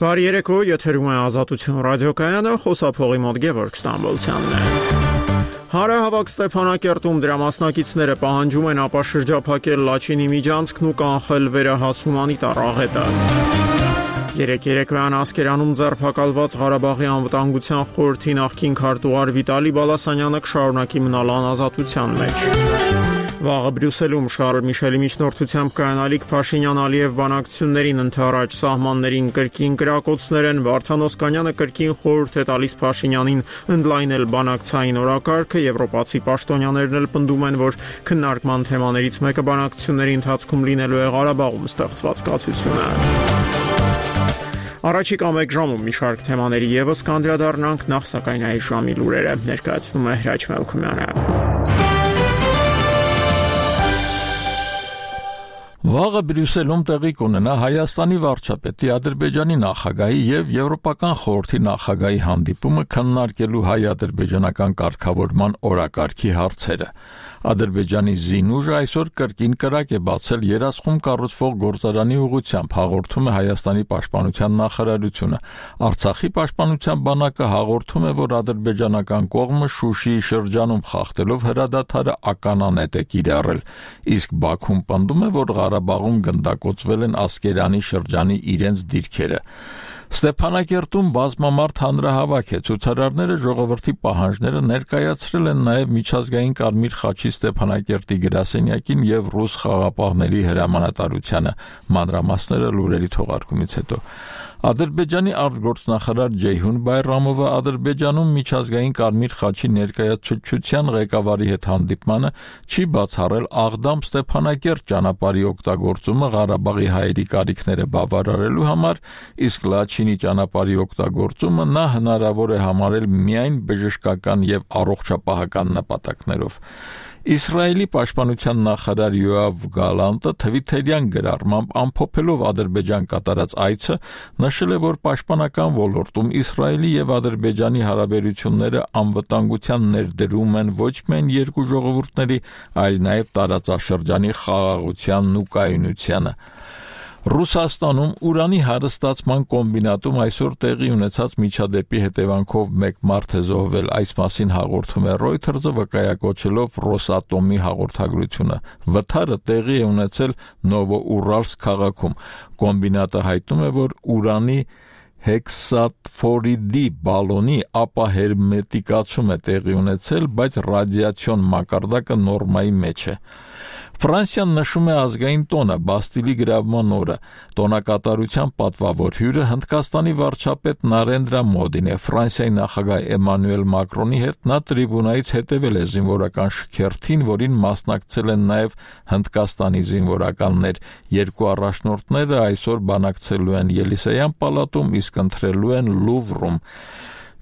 Բարի երեկո, եթերում է Ազատություն ռադիոկայանը, խոսափողի մոտ Գևորգ Ստամբոլցյանն է։ Հարահավաք Ստեփանակերտում դրա մասնակիցները պահանջում են ապա շրջափակել Լաչինի միջանցքն ու կանխել վերահաս հումանիտար աղետը։ Երեկոյան Ասկերանում ձերբակալված Ղարաբաղի անվտանգության խորհրդի նախկին քարտուղար Վիտալի Բալասանյանը կշարունակի մնալ անազատության մեջ։ Վաղը Բրյուսելում Շարլ Միշելի միջնորդությամբ կայանալիք Փաշինյան-Ալիև բանակցություններին ընդառաջ սահմաններին կրկին կրակոցներ են, Վարդան Օսկանյանը կրկին խորհուրդ է տալիս Փաշինյանին ընդլայնել բանակցային օրակարգը, եվրոպացի պաշտոնյաներն էլ պնդում են, որ քննարկման թեմաներից մեկը բանակցությունների ընթացքում լինելու է Ղարաբաղում ստեղծված կացությունը։ Առաջիկա մեկ ժամում մի շարք թեմաների եւս կանդրադառնանք, նախ սակայն այս ժամի լուրերը ներկայացնում է Հրաչ Մելքումյանը։ Վաղը Բրյուսելում տեղի կունենա Հայաստանի վարչապետի, Ադրբեջանի նախագահի եւ Եվրոպական խորհրդի նախագահի հանդիպումը քննարկելու հայ-ադրբեջանական կարգավորման օրակարգի հարցերը։ Ադրբեջանի զինուժը այսօր կրկին կրակ է բացել երասխում կառուցվող գործարանի ուղղությամբ, հաղորդում է Հայաստանի պաշտպանության նախարարությունը։ Արցախի պաշտպանության բանակը հաղորդում է, որ ադրբեջանական կողմը Շուշիի շրջանում խախտելով հրադադարը ականանետ է կիրառել, իսկ Բաքուն պնդում է, որ Ղարաբաղում գնդակոծվել են Ասկերանի շրջանի իրենց դիրքերը։ Ստեփանակերտում բազմամարդ հանրահավաք է, ցուցարարները ժողովրդի պահանջները ներկայացրել են նաև միջազգային Կարմիր խաչի Ստեփանակերտի գրասենյակին եւ ռուս խաղապահների հրամանատարությանը։ Մանրամասները լուրերի թողարկումից հետո։ Ադրբեջանի արտգործնախարար Ջեյհուն Բայրամովը Ադրբեջանում միջազգային Կարմիր խաչի ներկայացուցչության ղեկավարի հետ հանդիպմանը չի բացառել Աղդամ-Ստեփանակերտ ճանապարհի օգտագործումը Ղարաբաղի հայերի կարիքները բավարարելու համար, իսկ Լաչինի ճանապարհի օգտագործումը նա հնարավոր է համարել միայն բժշկական եւ առողջապահական նպատակներով։ Իսրայելի պաշտպանության նախարար Յոավ Գալանտը թվիթերյան գրառմամբ ամփոփելով Ադրբեջան կատարած այցը նշել է, որ պաշտպանական ոլորտում Իսրայելի եւ Ադրբեջանի հարաբերությունները անվտանգության ներդրում են ոչ միայն երկու ժողովուրդների, այլ նաեւ տարածաշրջանի խաղաղությանն ու կայունությանը։ Ռուսաստանում ուրանի հարստացման կոմբինատում այսօր տեղի ունեցած միջադեպի հետևանքով մեկ մարդ է զոհվել, այս մասին հաղորդում է Reuters-ը վկայակոչելով Ռոսատոմի հաղորդագրությունը։ Վթարը տեղի է ունեցել Նովոուրալսկ քաղաքում։ Կոմբինատը հայտնում է, որ ուրանի հեքսաֆորիդի բալոնի ապահերմետիկացում է տեղի ունեցել, բայց ռադիացիոն մակարդակը նորմայի մեջ է։ Ֆրանսիան նշում է ազգային տոնը, Բաստիլի գրավման օրը։ Տոնակատարության պատվավոր հյուրը Հնդկաստանի վարչապետ Նարենդրա Մոդին է։ Ֆրանսիայի նախագահ Էմանուել Մակրոնի հետ նա տրիբունայից հետևել է զինվորական շքերթին, որին մասնակցել են նաև Հնդկաստանի զինվորականներ։ Երկու առաջնորդները այսօր բանակցելու են Ելիսեյան պալատում, իսկ ընտրելու են Լուվրում։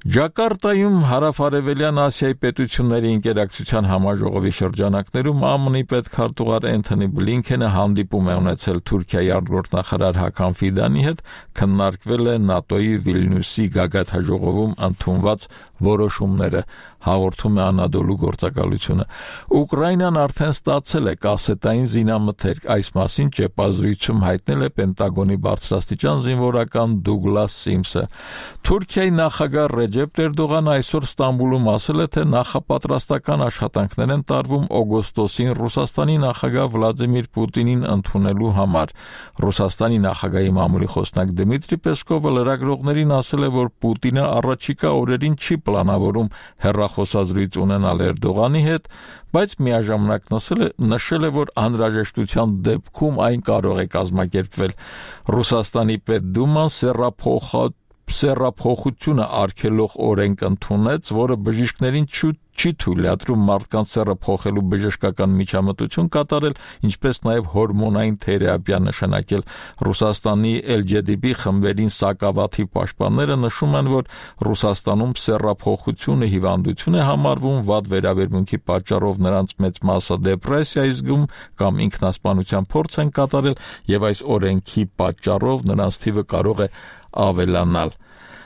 Ջակարտայում Հարավարևելյան Ասիայի պետությունների ինտերակցիան համաժողովի շրջանակներում ԱՄՆ-ի պետքարտուղար Էնթոնի Բլինքենը հանդիպում է ունեցել Թուրքիայի արտգործնախարար Հական Ֆիդանի հետ, քննարկվել է ՆԱՏՕ-ի Վիլնյուսի գագաթնաժողովում ընդունված որոշումները, հաղորդում է Անադոլու գործակալությունը։ Ուկրաինան արդեն ստացել է կասետային զինամթերք, այս մասին ճեպազրույցում հայտնել է Պենտագոնի բարձրաստիճան զինվորական Դուգլաս Սիմսը։ Թուրքիայի նախագահ Ռեջեփ Էրդողանը այսօր Ստամբուլում ասել է, թե նախապատրաստական աշխատանքներ են տարվում օգոստոսին Ռուսաստանի նախագահ Վլադիմիր Պուտինին ընդունելու համար։ Ռուսաստանի նախագահի մամուլի խոսնակ Դմիտրի Պեսկովը լրագրողներին ասել է, որ Պուտինը առաջիկա օրերին չի պլանավորում հեռախոսազրույց ունենալ Էրդողանի հետ, բայց միաժամանակ նշել է, որ անհրաժեշտության դեպքում այն կարող է կազմակերպվել։ Ռուսաստանի Պետդուման սեռափոխությունը արգելող օրենք ընդունեց, որը բժիշկներին չի թույլատրում մարդկանց սեռը փոխելու բժշկական միջամտություն կատարել, ինչպես նաև հորմոնային թերապիա նշանակել։ Ռուսաստանի LGTB խմբերին սակավաթիվ պաշտպանները նշում են, որ Ռուսաստանում սեռափոխությունը հիվանդություն է համարվում, վատ վերաբերմունքի պատճառով նրանց մեծ մասը դեպրեսիայի զգում կամ ինքնասպանության փորձ են կատարել, եւ այս օրենքի պատճառով նրանց թիվը կարող է ավելանալ։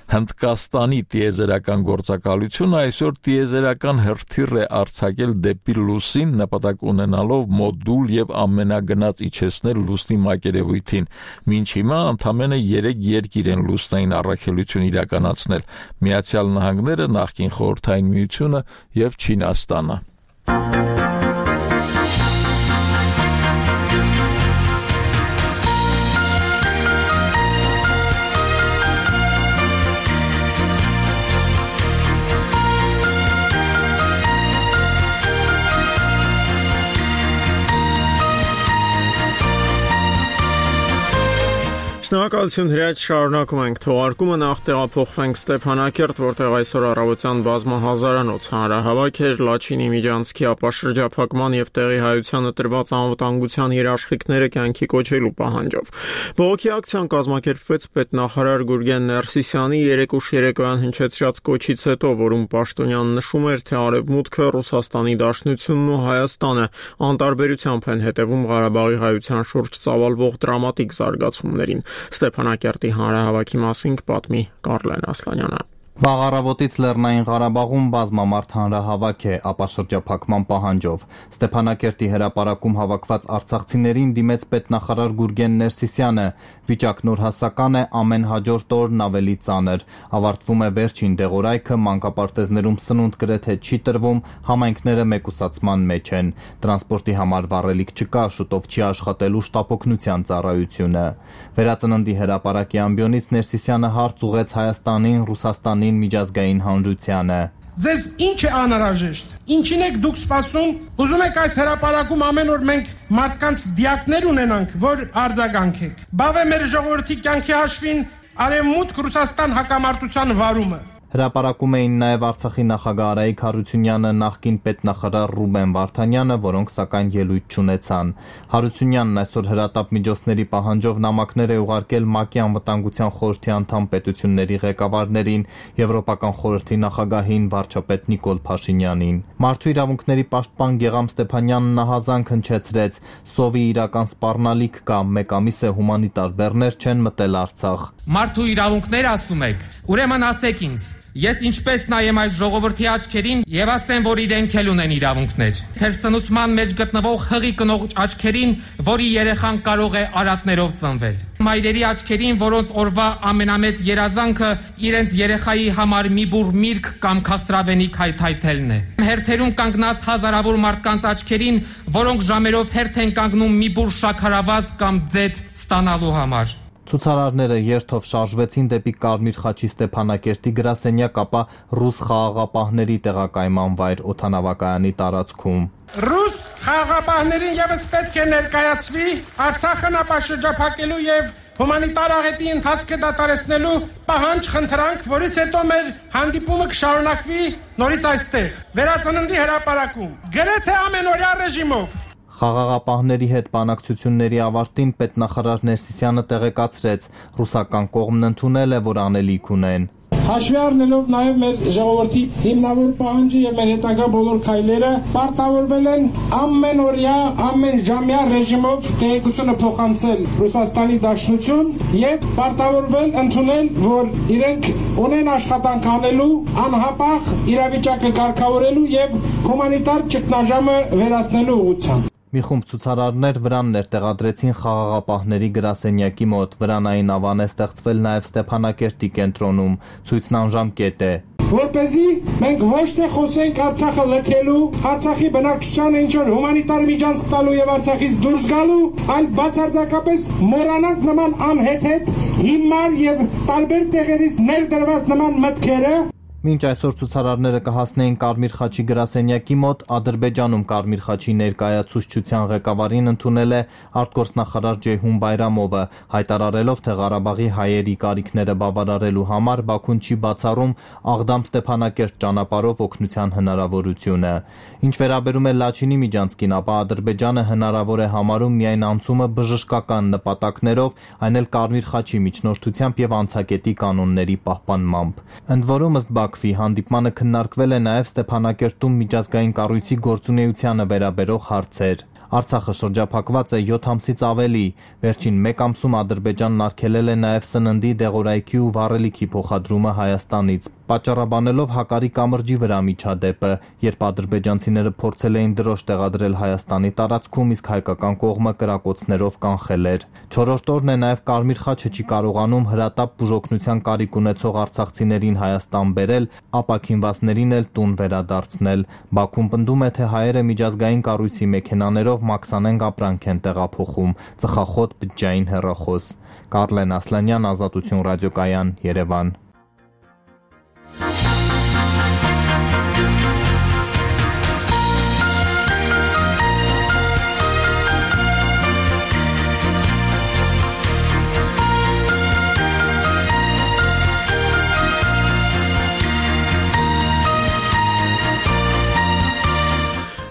Հնդկաստանի տիեզերական գործակալությունը այսօր տիեզերական հրթիռ է արձակել դեպի լուսին, նպատակ ունենալով մոդուլ եւ ամենագնաց իջեցնել լուսնի մակերևույթին։ Մինչ հիմա ընդամենը 3 երկիր են լուսնային առաքելություն իրականացնել՝ Միացյալ Նահանգները, նախկին Խորհրդային Միությունը եւ Չինաստանը։ Շնորհակալություն հրաչ շարունակում ենք թողարկումը նախ տեղափոխվենք Ստեփանակերտ, որտեղ այսօր առավոտյան բազմահազարանոց հանրահավաք էր Լաչինի Միջանցքի ապաշրջափակման եւ տեղի հայությանը տրված անվտանգության երաշխիքները կյանքի կոչելու պահանջով։ Բողոքի ակցիան կազմակերպվեց պետնախարար Գուրգեն Ներսիսյանի երեկուշ երեկոյան հնչեցրած կոչից հետո, որում Պաշտոնյան նշում էր, թե Արևմուտքը, Ռուսաստանի Դաշնությունն ու Հայաստանը անտարբերությամբ են հետևում Ղարաբաղի հայության շուրջ ծավալվող դրամատիկ զարգացումներին։ Ստեփանակերտի հանրահավաքի մասին կպատմի Կարլեն Ասլանյանը։ Վաղ առավոտից Լեռնային Ղարաբաղում բազմամարդ հանրահավաք է ապաշրջափակման պահանջով։ Ստեփանակերտի հրապարակում հավաքված արցախցիներին դիմեց պետնախարար Գուրգեն Ներսիսյանը։ Վիճակն օրհասական է, ամեն հաջորդ օրն ավելի ծանր։ Ավարտվում է վերջին դեղորայքը, մանկապարտեզներում սնունդ գրեթե չի տրվում, համայնքները մեկուսացման մեջ են։ Տրանսպորտի համար վառելիք չկա, շուտով չի աշխատելու շտապօգնության ծառայությունը։ Վերածննդի հրապարակի ամբիոնից Ներսիսյանը հարց ուղղեց Հայաստանին, Ռուսաստանին միջազգային հանրությանը։ Ձեզ ինչ է անհրաժեշտ։ Ինչին եք դուք սպասում։ Ուզում եք այս հրապարակում ամեն օր մենք մարդկանց դիակներ ունենանք, որ արձագանքեք։ Բավ է մեր ժողովրդի կյանքի հաշվին Արևմուտք Ռուսաստան հակամարտության վարումը։ Հրապարակում էին նաև Արցախի նախագահ Արայիկ Հարությունյանը, նախկին պետնախարար Ռուբեն Վարդանյանը, որոնք սակայն ելույթ չունեցան։ Հարությունյանն այսօր հրատապ միջոցների պահանջով նամակներ է ուղարկել ՄԱԿ-ի անվտանգության խորհրդի անդամ պետությունների ղեկավարներին, Եվրոպական խորհրդի նախագահին վարչապետ Նիկոլ Փաշինյանին։ Մարդու իրավունքների պաշտպան Գեգամ Ստեփանյանն ահազանգ հնչեցրեց. «Սովի իրական սպառնալիք կա, մեկ ամիս է հումանիտար բեռներ չեն մտել Արցախ»։ Մարդու իրավունքներ ասում եք, ուրեմն ասեք ինձ։ Ես ինչպես նայեմ այս ժողովրդի աչքերին եւ ասեմ, որ իրենք էլ ունեն իրավունքներ։ Թեր սնուցման մեջ գտնվող հղի կնող աչքերին, որի երեխան կարող է արատներով ծնվել։ Մայրերի աչքերին, որոնց օրվա ամենամեծ երազանքը իրենց երեխայի համար մի բուռ միրգ կամ քասրավենիք հայթայթելն է։ Հերթերում կանգնած հազարավոր մարդկանց աչքերին, որոնք ժամերով հերթ են կանգնում մի բուռ շաքարավազ կամ ձեթ ստանալու համար։ Ցուցարարները երթով շարժվեցին դեպի Կարմիր խաչի Ստեփանակերտի գրասենյակ, ապա ռուս խաղաղապահների տեղակայման վայր օդանավակայանի տարածքում։ Ռուս խաղաղապահներին եւս պետք է ներկայացվի Արցախն ապաշրջափակելու եւ հումանիտար աղետի ընթացքը դադարեցնելու պահանջ խնդրանք, որից հետո մեր հանդիպումը կշարունակվի նորից այստեղ, Վերածննդի հրապարակում, գրեթե ամենօրյա ռեժիմով։ Խաղաղապահների հետ բանակցությունների ավարտին պետնախարար Ներսիսյանը տեղեկացրեց, ռուսական կողմն ընդունել է, որ անելիք ունեն։ Հաշվի առնելով նաև մեր ժողովրդի հիմնավոր պահանջը եւ մեր հետագա բոլոր քայլերը պարտավորվել են ամենօրյա, ամենժամյա ռեժիմով տեղեկությունը փոխանցել Ռուսաստանի Դաշնություն եւ պարտավորվել ընդունել, որ իրենք ունեն աշխատանք անելու, անհապաղ իրավիճակը կարգավորելու եւ հումանիտար ճգնաժամը վերացնելու ուղղությամբ։ Մի խումբ ցուցարարներ վրաններ տեղադրեցին խաղաղապահների գրասենյակի մոտ։ Վրանային ավան է ստեղծվել նաև Ստեփանակերտի կենտրոնում։ Ցույցն անժամկետ է։ Որպեսզի մենք ոչ թե խոսենք Արցախը լքելու, Արցախի բնակչությանը ինչ-որ հումանիտար միջանցք տալու եւ Արցախից դուրս գալու, այլ բացարձակապես մոռանանք նման անհեթեթ, հիմար եւ տարբեր տեղերից ներդրված նման մտքերը։ Մինչ այսօր ցուցարարները կհասնեին Կարմիր խաչի գրասենյակի մոտ, Ադրբեջանում Կարմիր խաչի ներկայացուցչության ղեկավարին ընդունել է արտգործնախարար Ջեյհուն Բայրամովը, հայտարարելով, թե Ղարաբաղի հայերի կարիքները բավարարելու համար Բաքուն չի բացառում Աղդամ-Ստեփանակերտ ճանապարհով օգնության հնարավորությունը։ Ինչ վերաբերում է Լաչինի Միջանցքին, ապա Ադրբեջանը հնարավոր է համարում միայն անցումը բժշկական նպատակներով, այն էլ Կարմիր խաչի միջնորդությամբ եւ անցակետի կանոնների պահպանմամբ։ Ընդ որում, ըստ Բաքվի հանդիպմանը քննարկվել է նաև Ստեփանակերտում միջազգային կառույցի գործունեությանը վերաբերող հարցեր։ Արցախը շրջափակված է 7 ամսից ավելի։ Վերջին 1 ամսում Ադրբեջանն արգելել է նաև սննդի, դեղորայքի ու վառելիքի փոխադրումը Հայաստանից, պատճառաբանելով Հակարի կամրջի վրա միջադեպը, երբ ադրբեջանցիները փորձել էին դրոշ տեղադրել Հայաստանի տարածքում, իսկ հայկական կողմը կրակոցներով կանխել էր։ 4-րդ օրն է նաև Կարմիր խաչը չի կարողանում հրատապ բուժօգնության կարիք ունեցող արցախցիներին Հայաստան բերել, ապաքինվածներին էլ տուն վերադարձնել։ Բաքուն պնդում է, թե հայերը միջազգային կառույցի մեքենաներով մաքսանենգ ապրանք են տեղափոխում։ Ծխախոտ, բջջային հեռախոս։ Կարլեն Ասլանյան, Ազատություն ռադիոկայան, Երևան։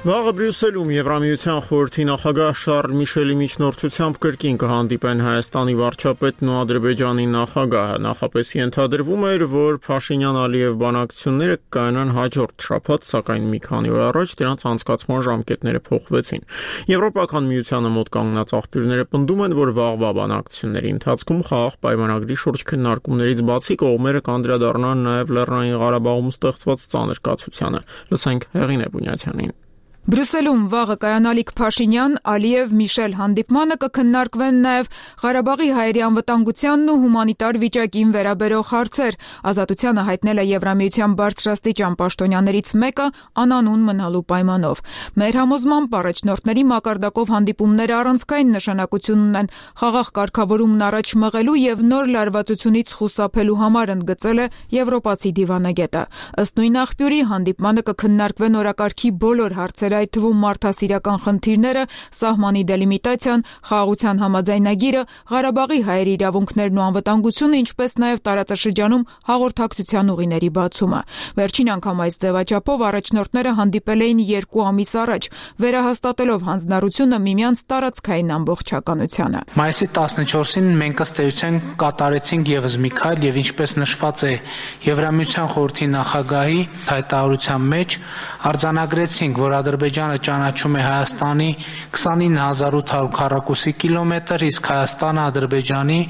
Վաղը Բրյուսելում Եվրամիության խորհրդի նախագահ Շարլ Միշելի միջնորդությամբ կրկին կհանդիպեն Հայաստանի վարչապետն ու Ադրբեջանի նախագահը։ Նախապես ենթադրվում էր, որ Փաշինյան-Ալիև բանակցությունները կայանան հաջորդ շաբաթ, սակայն մի քանի օր առաջ դրանց անցկացման ժամկետները փոխվեցին։ Եվրոպական միությանը մոտ կանգնած աղբյուրները պնդում են, որ վաղվա բանակցությունների ընթացքում խաղաղ պայմանագրի շուրջ քննարկումներից բացի կողմերը կանդրադառնան նաև Լեռնային Ղարաբաղում ստեղծված ծանր կացությանը։ Լսենք Հեղինե Բունյաթյանին։ Բրյուսելում վաղը կայանալիք Փաշինյան, Ալիև, Միշել հանդիպմանը կքննարկվեն նաև Ղարաբաղի հայերի անվտանգությանն ու հումանիտար վիճակին վերաբերող հարցեր։ Ազատությանը հայտնել է Եվրամիության բարձրաստիճան պաշտոնյաներից մեկը անանուն մնալու պայմանով։ Մեր համոզմամբ առաջնորդների մակարդակով հանդիպումները առանցքային նշանակություն ունեն խաղաղ կարգավորումն առաջ մղելու եւ նոր լարվածությունից խուսափելու համար, ընդգծել է եվրոպացի դիվանագետը։ Ըստ նույն աղբյուրի հանդիպմանը կքննարկվեն օրակարգի բոլոր հարցեր, այդ թվում մարդասիրական խնդիրները, սահմանի դելիմիտացիան, խաղաղության համաձայնագիրը, Ղարաբաղի հայերի իրավունքներն ու անվտանգությունը, ինչպես նաև տարածաշրջանում հաղորդակցության ուղիների բացումը։ Վերջին անգամ այս ձևաչափով առաջնորդները հանդիպել էին 2 ամիս առաջ, վերահաստատելով հանձնառությունը միմյանց տարածքային ամբողջականությանը։ Մայիսի 14-ին մենք ըստ էության կատարեցինք եւս մի քայլ եւ ինչպես նշված է Եվրամիության խորհրդի նախագահի հայտարարության մեջ, արձանագրեցինք, որ Ադրբեջանը ճանաչում է Հայաստանի 29800 քառակուսի կիլոմետր, իսկ Հայաստանը Ադրբեջանի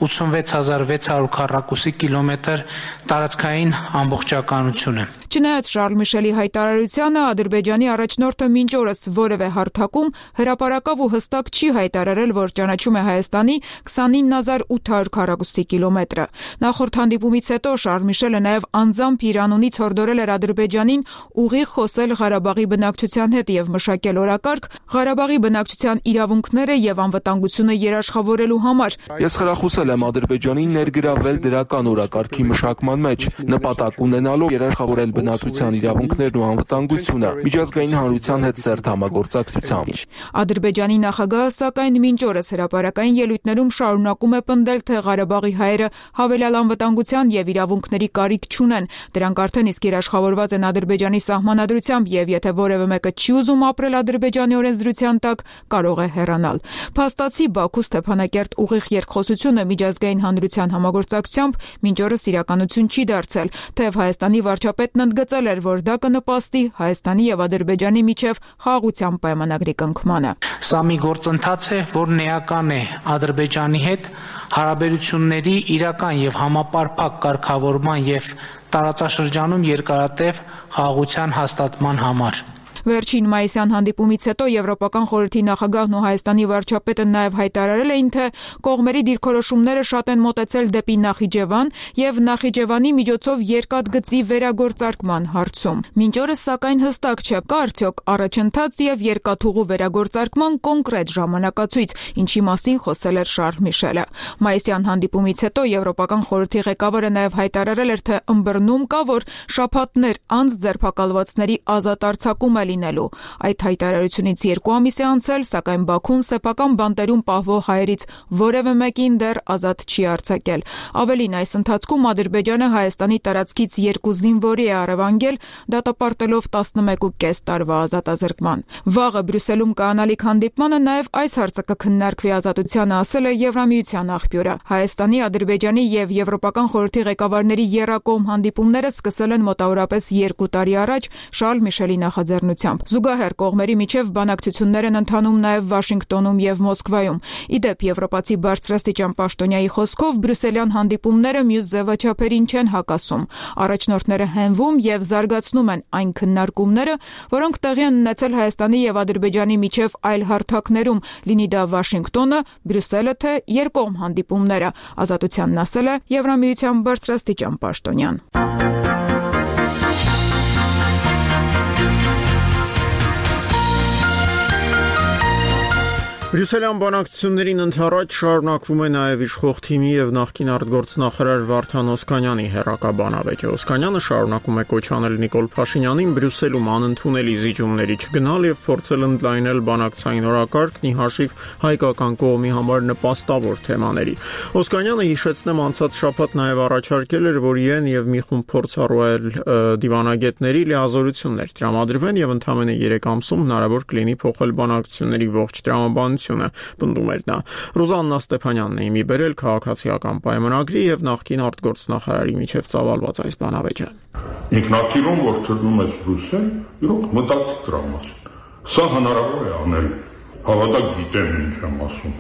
86600 քառակուսի կիլոմետր տարածքային ամբողջականություն է։ Չնայած Շարլ Միշելի հայտարարությանը, Ադրբեջանի առաջնորդը մինչ օրս որևէ հարթակում հրապարակավ ու հստակ չի հայտարարել, որ ճանաչում է Հայաստանի 29800 քառակուսի կիլոմետրը։ Նախորդ հանդիպումից հետո Շարլ Միշելը նաև անձամբ իր անունից հորդորել էր Ադրբեջանին ուղիղ խոսել Ղարաբաղի բնակչության հետ եւ մշակել օրակարգ Ղարաբաղի բնակչության իրավունքները եւ անվտանգությունը երաշխավորելու համար։ Ես խրախուսել եմ Ադրբեջանին ներգրավել դրական օրակարգի մշակման մեջ, նպատակ ունենալով երաշխավորել բնակչության իրավունքներն ու անվտանգությունը միջազգային հանրության հետ սերտ համագործակցությամբ։ Ադրբեջանի նախագահը սակայն մինչ օրս հրապարակային ելույթներում շարունակում է պնդել, թե Ղարաբաղի հայերը հավելյալ անվտանգության եւ իրավունքների կարիք չունեն։ Դրանք արդեն իսկ երաշխավորված են Ադրբեջանի սահմանադրությամբ եւ եթե որևէ մեկը չի ուզում ապրել Ադրբեջանի օրենսդրության տակ, կարող է հեռանալ։ Փաստացի Բաքու Ստեփանակերտ ուղիղ երկխոսությունը միջազգային հանրության համագործակցությամբ մինչ օրս իրականություն չի դարձել, թեև Հայաստանի վարչապետն ընդգծել էր, որ դա կնպաստի Հայաստանի եւ Ադրբեջանի միջև խաղաղության պայմանագրի կնքմանը։ Սա մի գործընթաց է, որն էական է Ադրբեջանի հետ հարաբերությունների իրական եւ համապարփակ կարգավորման եւ տարածաշրջանում երկարատև խաղաղության հաստատման համար։ Վերջին մայիսյան հանդիպումից հետո Եվրոպական խորհրդի նախագահն ու Հայաստանի վարչապետը նաև հայտարարել էին, թե կողմերի դիրքորոշումները շատ են մոտեցել դեպի Նախիջևան եւ Նախիջևանի միջոցով երկաթգծի վերագործարկման հարցում։ Մինչ օրս սակայն հստակ չէ, կա արդյոք առաջընթաց եւ երկաթուղու վերագործարկման կոնկրետ ժամանակացույց, ինչի մասին խոսել էր Շարլ Միշելը։ Մայիսյան հանդիպումից հետո Եվրոպական խորհրդի ղեկավարը նաև հայտարարել էր, թե ըմբռնում կա, որ շաբաթներ անց ձերբակալվածների ազատ արձակում է լինելու։ Այդ հայտարարությունից 2 ամիս է անցել, սակայն Բաքուն սեփական բանտերում պահվող հայերից որևէ մեկին դեռ ազատ չի արձակել։ Ավելին, այս ընթացքում Ադրբեջանը Հայաստանի տարածքից 2 զինվորի է առևանգել, դատապարտելով 11.5 տարվա ազատազրկման։ Վաղը Բրյուսելում կայանալիք հանդիպմանը նաև այս հարցը կքննարկվի, Ազատությանը ասել է Եվրամիության աղբյուրը։ Հայաստանի, Ադրբեջանի եւ Եվրոպական խորհրդի ղեկավարների եռակողմ հանդիպումները սկսել են մոտավորապես 2 տարի առաջ Շարլ Միշելի նախաձեռնությամբ։ ուղղությամբ։ Զուգահեռ կողմերի միջև բանակցություններ են ընթանում նաև Վաշինգտոնում եւ Մոսկվայում։ Իդեպ եվրոպացի բարձրաստիճան պաշտոնյայի խոսքով բրյուսելյան հանդիպումները մյուս ձևաչափերին չեն հակասում։ Առաջնորդները հենվում եւ զարգացնում են այն քննարկումները, որոնք տեղի են ունեցել Հայաստանի եւ Ադրբեջանի միջև այլ հարթակներում, լինի դա Վաշինգտոնը, Բրյուսելը թե երկկողմ հանդիպումները, Ազատությանն ասել է Եվրամիության բարձրաստիճան պաշտոնյան։ Բրյուսելյան բանակցություններին ընդառաջ շարունակվում է նաև իշխող թիմի եւ նախկին արտգործնախարար Վարդան Օսկանյանի հերակա բանավեճը։ Օսկանյանը շարունակում է կոչ անել Նիկոլ Փաշինյանին Բրյուսելում անընդունելի զիջումների չգնալ եւ փորձել ընդլայնել բանակցային օրակարգն ի հաշիվ հայկական կողմի համար նպաստավոր թեմաների։ Օսկանյանը հիշեցնեմ անցած շաբաթ նաև առաջարկել էր, որ իրեն եւ մի խումբ փորձառու դիվանագետների լիազորություններ տրամադրվեն եւ ընդամենը 3 ամսում հնարավոր կլինի փոխել բանակցությունների ողջ տրամաբանությունը, պնդում էր նա։ Ռուզաննա Ստեփանյանն է իմի բերել քաղաքացիական պայմանագրի եւ նախկին արտգործնախարարի միջև ծավալված այս բանավեճը։ Ինքնաթիռում, որ ծրնում ես Բրյուսել, իրոք մտածի դրա մասին։ Սա հնարավոր է անել։ Հավատակ գիտեմ ինչ եմ ասում։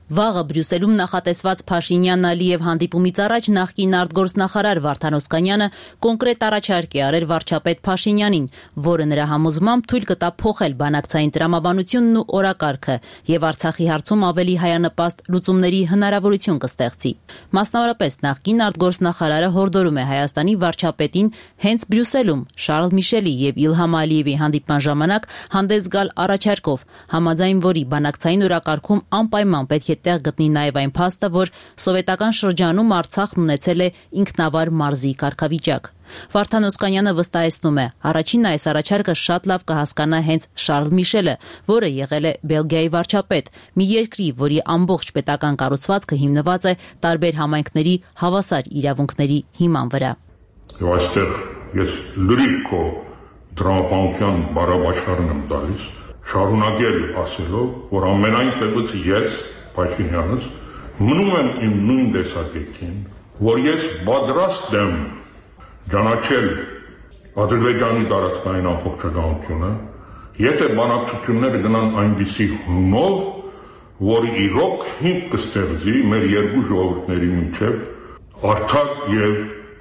Վաղը Բրյուսելում նախատեսված Փաշինյան-Ալիև հանդիպումից առաջ նախկին արտգործնախարար Վարդան Օսկանյանը կոնկրետ առաջարկ է արել վարչապետ Փաշինյանին, որը նրա համոզմամբ թույլ կտա փոխել բանակցային տրամաբանությունն ու օրակարգը եւ Արցախի հարցում ավելի հայանպաստ լուծումների հնարավորություն կստեղծի։ Մասնավորապես նախկին արտգործնախարարը հորդորում է Հայաստանի վարչապետին հենց Բրյուսելում Շարլ Միշելի եւ Իլհամ Ալիևի հանդիպման ժամանակ հանդես գալ առաջարկով, համաձայն որի բանակցային օրակարգում անպայման պետք է տեղ գտնի նաև այն փաստը, որ սովետական շրջանում Արցախն ունեցել է ինքնավար մարզի կարգավիճակ։ Վարդան Օսկանյանը վստահեցնում է, առաջինն այս առաջարկը շատ լավ կհասկանա հենց Շարլ Միշելը, որը եղել է Բելգիայի վարչապետ, մի երկրի, որի ամբողջ պետական կառուցվածքը հիմնված է տարբեր համայնքների հավասար իրավունքների հիման վրա։ Եվ այստեղ ես լրիվ քո դրամապանության բարաբաշխարն եմ տալիս, շարունակել ասելով, որ ամենայն տեղից ես Փաշինյանս մնում եմ իմ նույն տեսակետին, որ ես պատրաստ եմ ճանաչել Ադրբեջանի տարածքային ամբողջականությունը, եթե բանակցությունները գնան այնպիսի հունով, որ իրոք հիմք կստեղծի մեր երկու ժողովուրդների միջև արդար եւ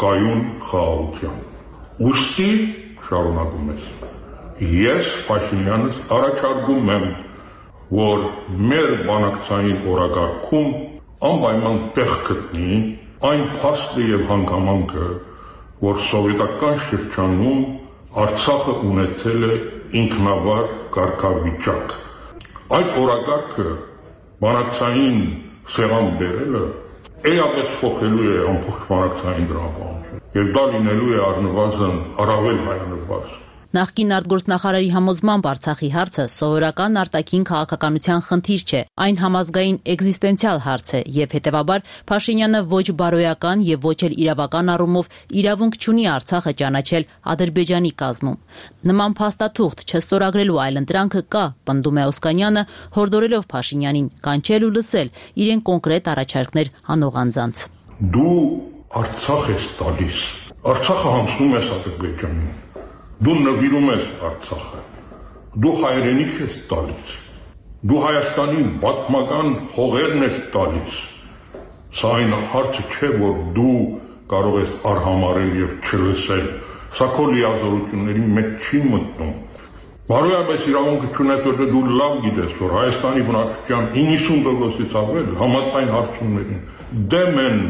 կայուն խաղաղության։ Ուստի շարունակում ես։ Ես Փաշինյանս առաջարկում եմ, որ մեր բանակցային օրակարգում անպայման տեղ գտնի այն փաստը եւ հանգամանքը, որ սովետական շրջանում Արցախը ունեցել է ինքնավար կարգավիճակ։ Այդ օրակարգը բանակցային սեղան բերելը էապես փոխելու է ամբողջ բանակցային դրամապանությունը եւ դա լինելու է առնվազն առավել հայանպաստ։ Նախկին արտգործնախարարի համոզմամբ Արցախի հարցը սովորական արտաքին քաղաքականության խնդիր չէ, այն համազգային էգզիստենցիալ հարց է եւ հետեւաբար Փաշինյանը ոչ բարոյական եւ ոչ էլ իրավական առումով իրավունք չունի Արցախը ճանաչել Ադրբեջանի կազմում։ Նման փաստաթուղթ չստորագրելու այլընտրանքը կա, պնդում է Օսկանյանը, հորդորելով Փաշինյանին կանչել ու լսել իրեն կոնկրետ առաջարկներ անող անձանց։ Դու Արցախ ես տալիս, Արցախը հանձնում ես Ադրբեջանին։ Դու նվիրում ես Արցախը, դու հայրենիք ես տալիս, դու Հայաստանի պատմական հողերն ես տալիս, սա այն հարցը չէ, որ դու կարող ես արհամարել և չլսել, սա քո լիազորությունների մեջ չի մտնում։ Բարոյապես իրավունքը չունես, որ դու լավ գիտես, որ Հայաստանի բնակչության 90%-ից ավել համաձայն հարցումներին դեմ են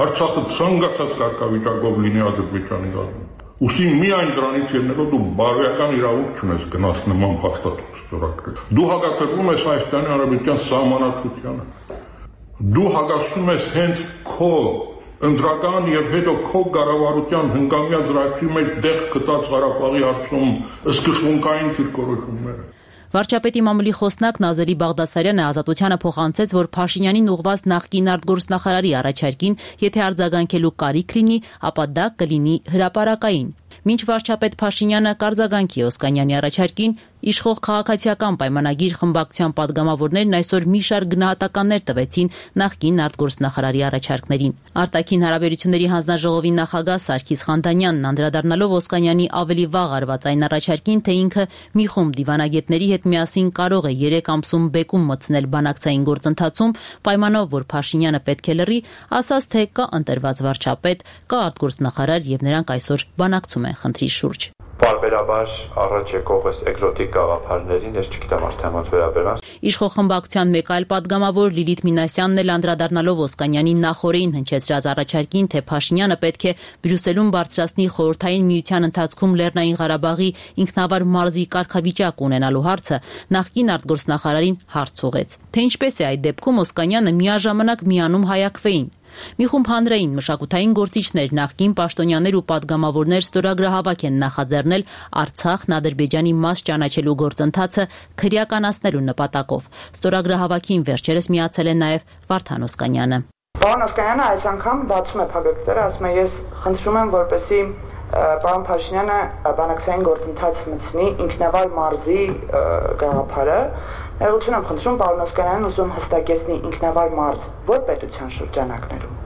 Արցախը ցանկացած կարգավիճակով լինի Ադրբեջանի կազմում։ Ուսի միայն դրանից ելնելով դու բարոյական իրավունք չունես գնաս նման փաստաթուղթ ստորագրել։ Դու հակակրվում ես Հայաստանի Հանրապետության սահմանադրությանը։ Դու հակասում ես հենց քո ընդրական եւ հետո քո կառավարության հնգամյա ծրագրի մեջ դեղ գտած Ղարաբաղի հարցում սկզբունքային դիրքորոշումները։ Վարչապետի մամուլի խոսնակ Նազելի Բաղդասարյանը Ազատությանը փոխանցեց, որ Փաշինյանին ուղղված նախկին արտգործնախարարի առաջարկին, եթե արձագանքելու կարիք լինի, ապա դա կլինի հրապարակային։ Մինչ վարչապետ Փաշինյանը կարձագանքի Օսկանյանի առաջարկին, իշխող քաղաքացիական պայմանագիր խմբակցության падգամավորներն այսօր մի շարք գնահատականներ տվեցին նախկին արտգործնախարարի առաջարկներին։ Արտաքին հարաբերությունների հանձնաժողովի նախագահ Սարգիս Խանդանյանն անդրադառնալով Օսկանյանի ավելի վաղ արված այն առաջարկին, թե ինքը մի խումբ դիվանագետների հետ միասին կարող է 3 ամսում բեկում մտցնել բանակցային գործընթացում, պայմանով որ Փաշինյանը պետք է լռի, ասաց, թե կա ընտրված վարչապետ, կա արտգործնախարար եւ նրանք այսօր բանակցում են խնդրի շուրջ։ Պարբերաբար առաջ եկող այս էկզոտիկ գաղափարներին ես չգիտեմ արդեն ոնց վերաբերան։ Իշխող խմբակցության մեկ այլ падգամավոր Լիլիթ Մինասյանն էլ անդրադառնալով Օսկանյանի նախորդին հնչեցրած առաջարկին, թե Փաշինյանը պետք է Բրյուսելում բարձրացնի խորհրդային միության ընթացքում Լեռնային Ղարաբաղի ինքնավար մարզի կարգավիճակ ունենալու հարցը, նախկին արտգործնախարարին հարց ուղղեց, թե ինչպես է այդ դեպքում Օսկանյանը միաժամանակ միանում հայակվեին։ Մի խումբ հանրային մշակութային գործիչներ, նախկին պաշտոնյաներ ու падգամավորներ ստորագրահավաք են նախաձեռնել Արցախն Ադրբեջանի մաս ճանաչելու գործընթացը քրեականացնելու նպատակով։ Ստորագրահավաքին վերջերս միացել է նաև Վարդան Օսկանյանը։ Պարոն Օսկանյանը այս անգամ բացում է փակագծերը, ասում է ես խնդրում եմ, որպեսզի պարոն Փաշինյանը բանակցային գործընթաց մտցնի ինքնավար մարզի գաղափարը։ Ներողություն եմ խնդրում, պարոն Օսկանյանն ուզում հստակեցնի ինքնավար մարզ որ պետության շրջանակներում։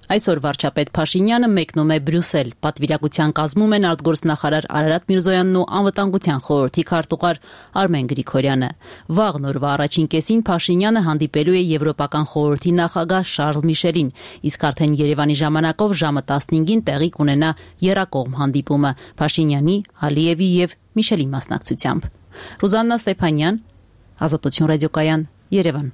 Այսօր վարչապետ Փաշինյանը մեկնում է Բրյուսել։ Պատվիրակության կազմում են արտգործնախարար Արարատ Միրզոյանն ու անվտանգության խորհրդի քարտուղար Արմեն Գրիգորյանը։ Վաղ նորվա առաջին կեսին Փաշինյանը հանդիպելու է Եվրոպական խորհրդի նախագահ Շարլ Միշելին, իսկ արդեն Երևանի ժամանակով ժամը 15-ին տեղի կունենա եռակողմ հանդիպումը Փաշինյանի, Ալիևի եւ Միշելի մասնակցությամբ։ Ռուզաննա Ստեփանյան, Ազատություն ռադիոկայան, Երևան։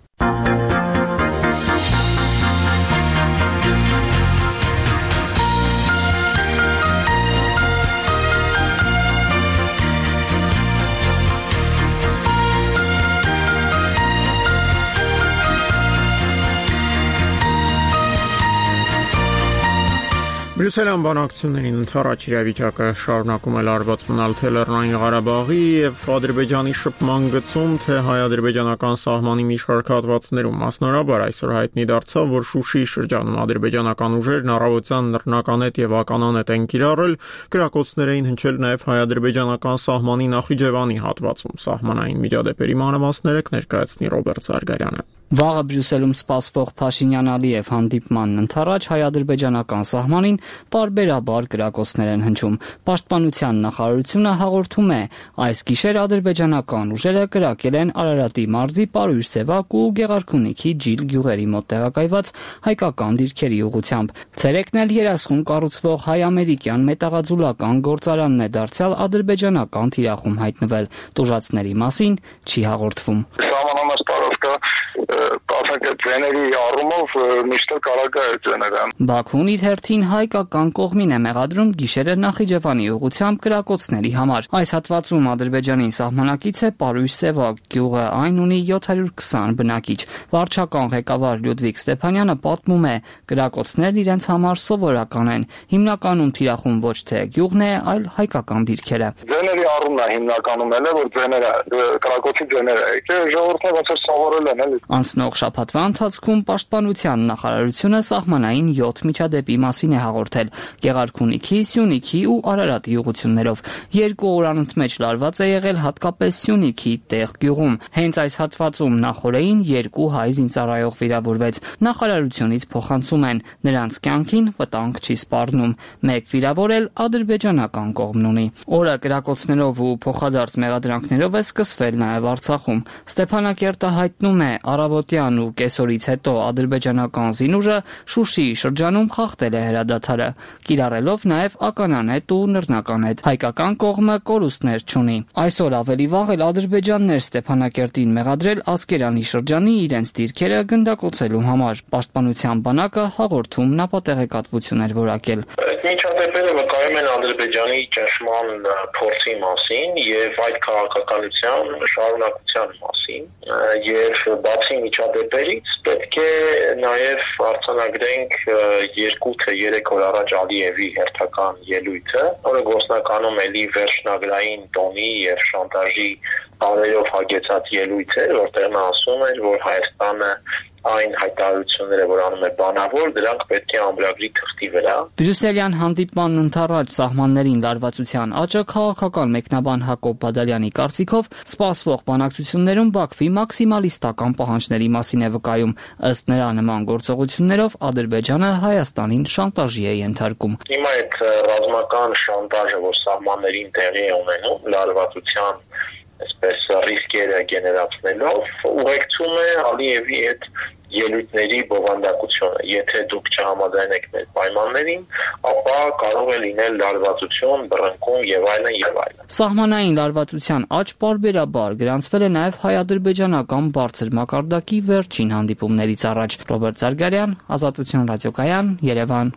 Բրյուսելյան բանակցություններին ընդառաջ իրավիճակը շարունակում է լարված մնալ թե Լեռնային Ղարաբաղի եւ Ադրբեջանի շփման գծում, թե հայ-ադրբեջանական սահմանի մի շարք հատվածներում։ Մասնորաբար այսօր հայտնի դարձավ, որ Շուշիի շրջանում ադրբեջանական ուժերն առավոտյան նռնականետ եւ ականանետ են կիրառել, կրակոցներ էին հնչել նաեւ հայ-ադրբեջանական սահմանի Նախիջևանի հատվածում։ Սահմանային միջադեպերի մանրամասները կներկայացնի Ռոբերտ Զարգարյանը։ Վաղը Բրյուսելում սպասվող Փաշինյան-Ալիև հանդիպմանն ընթառաջ հայ-ադրբեջանական սահմանին պարբերաբար կրակոցներ են հնչում։ Պաշտպանության նախարարությունը հաղորդում է, այս գիշեր ադրբեջանական ուժերը կրակել են Արարատի մարզի Պարույր Սևակ ու Գեղարքունիքի Ջիլ գյուղերի մոտ տեղակայված հայկական դիրքերի ուղղությամբ։ Ցերեկն էլ երասխուն կառուցվող հայ-ամերիկյան մետաղաձուլական գործարանն է դարձյալ ադրբեջանական թիրախում հայտնվել։ Տուժածների մասին չի հաղորդվում։ Ձեների առումով միշտ կարագա է ձեներան։ Բաքուն իր հերթին հայկական կողմին է մեղադրում գիշերը Նախիջևանի ուղղությամբ կրակոցների համար։ Այս հատվածում Ադրբեջանին սահմանակից է Պարույր Սևակ գյուղը, այն ունի 720 բնակիչ։ Վարչական ղեկավար Լյուդվիգ Ստեփանյանը պատմում է, կրակոցներն իրենց համար սովորական են։ Հիմնականում թիրախում ոչ թե գյուղն է, այլ հայկական դիրքերը։ Ձեների առումն է հիմնականում էլ է, որ ձեները կրակոցի ձեները եկել, ժողովուրդը ոնց սովորել են էլի։ Անցնող շաբաթվա ընթացքում Պաշտպանության նախարարությունը սահմանային 7 միջադեպի մասին է հաղորդել Գեղարքունիքի, Սյունիքի ու Արարատի ուղղություններով։ 2 օր անընդմեջ լարված է եղել հատկապես Սյունիքի տեղ գյուղում։ Հենց այս հատվածում նախորդին 2 հայ զինծառայող վիրավորվեց։ Նախարարությունից փոխանցում են, նրանց կյանքին վտանգ չի սպառնում։ Մեկ վիրավոր էլ ադրբեջանական կողմն ունի։ Օրը կրակոցներով ու փոխադարձ մեղադրանքներով է սկսվել նաև Արցախում։ Ստեփանակերտը հայտնում է, առավոտյան ու կեսօրից հետո ադրբեջանական զինուժը Շուշիի շրջանում խախտել է հրադադարը, կիրառելով նաև ականանետ ու նռնականետ։ Հայկական կողմը կորուստներ չունի։ Այսօր ավելի վաղ էլ ադրբեջաններ Ստեփանակերտին մեղադրել Ասկերանի շրջանի իրենց դիրքերը գնդակոծելու համար։ Պաշտպանության բանակը հաղորդում նապատեղեկատվություն էր որակել։ Միջադեպերը վկայում են Ադրբեջանի ճնշման փորձի մասին եւ այդ քաղաքականության շարունակության մասին։ Եվ բացի միջադեպերից պետք է նաև արձանագրենք 2 թե 3 օր առաջ Ալիևի հերթական ելույթը, որը գործնականում էլի վերջնագրային տոնի եւ շանտաժի բարերով հագեցած ելույթ էր, որտեղ նա ասում էր, որ Հայաստանը այն հայտարարությունները, որ անում է բանավոր, դրանք պետք է ամրագրի թղթի վրա։ Բրյուսելյան հանդիպմանն ընդառաջ սահմաններին լարվածության աճը քաղաքական մեկնաբան Հակոբ Բադալյանի կարծիքով սպասվող բանակցություններում Բաքվի մաքսիմալիստական պահանջների մասին է վկայում։ Ըստ նրա, նման գործողություններով Ադրբեջանը Հայաստանին շանտաժի է ենթարկում։ Հիմա այդ ռազմական շանտաժը, որ սահմաններին տեղի է ունենում, լարվածության այսպես ռիսկերը գեներացնելով, ուղեկցում է Ալիևի այդ ելույթների բովանդակությունը։ Եթե դուք չհամաձայնեք մեր պայմաններին, ապա կարող է լինել լարվածություն, բռնկում եւ այլն եւ այլն։ Սահմանային լարվածության աճ պարբերաբար գրանցվել է նաեւ հայ-ադրբեջանական բարձր մակարդակի վերջին հանդիպումներից առաջ։ Ռոբերտ Զարգարյան, Ազատություն ռադիոկայան, Երևան։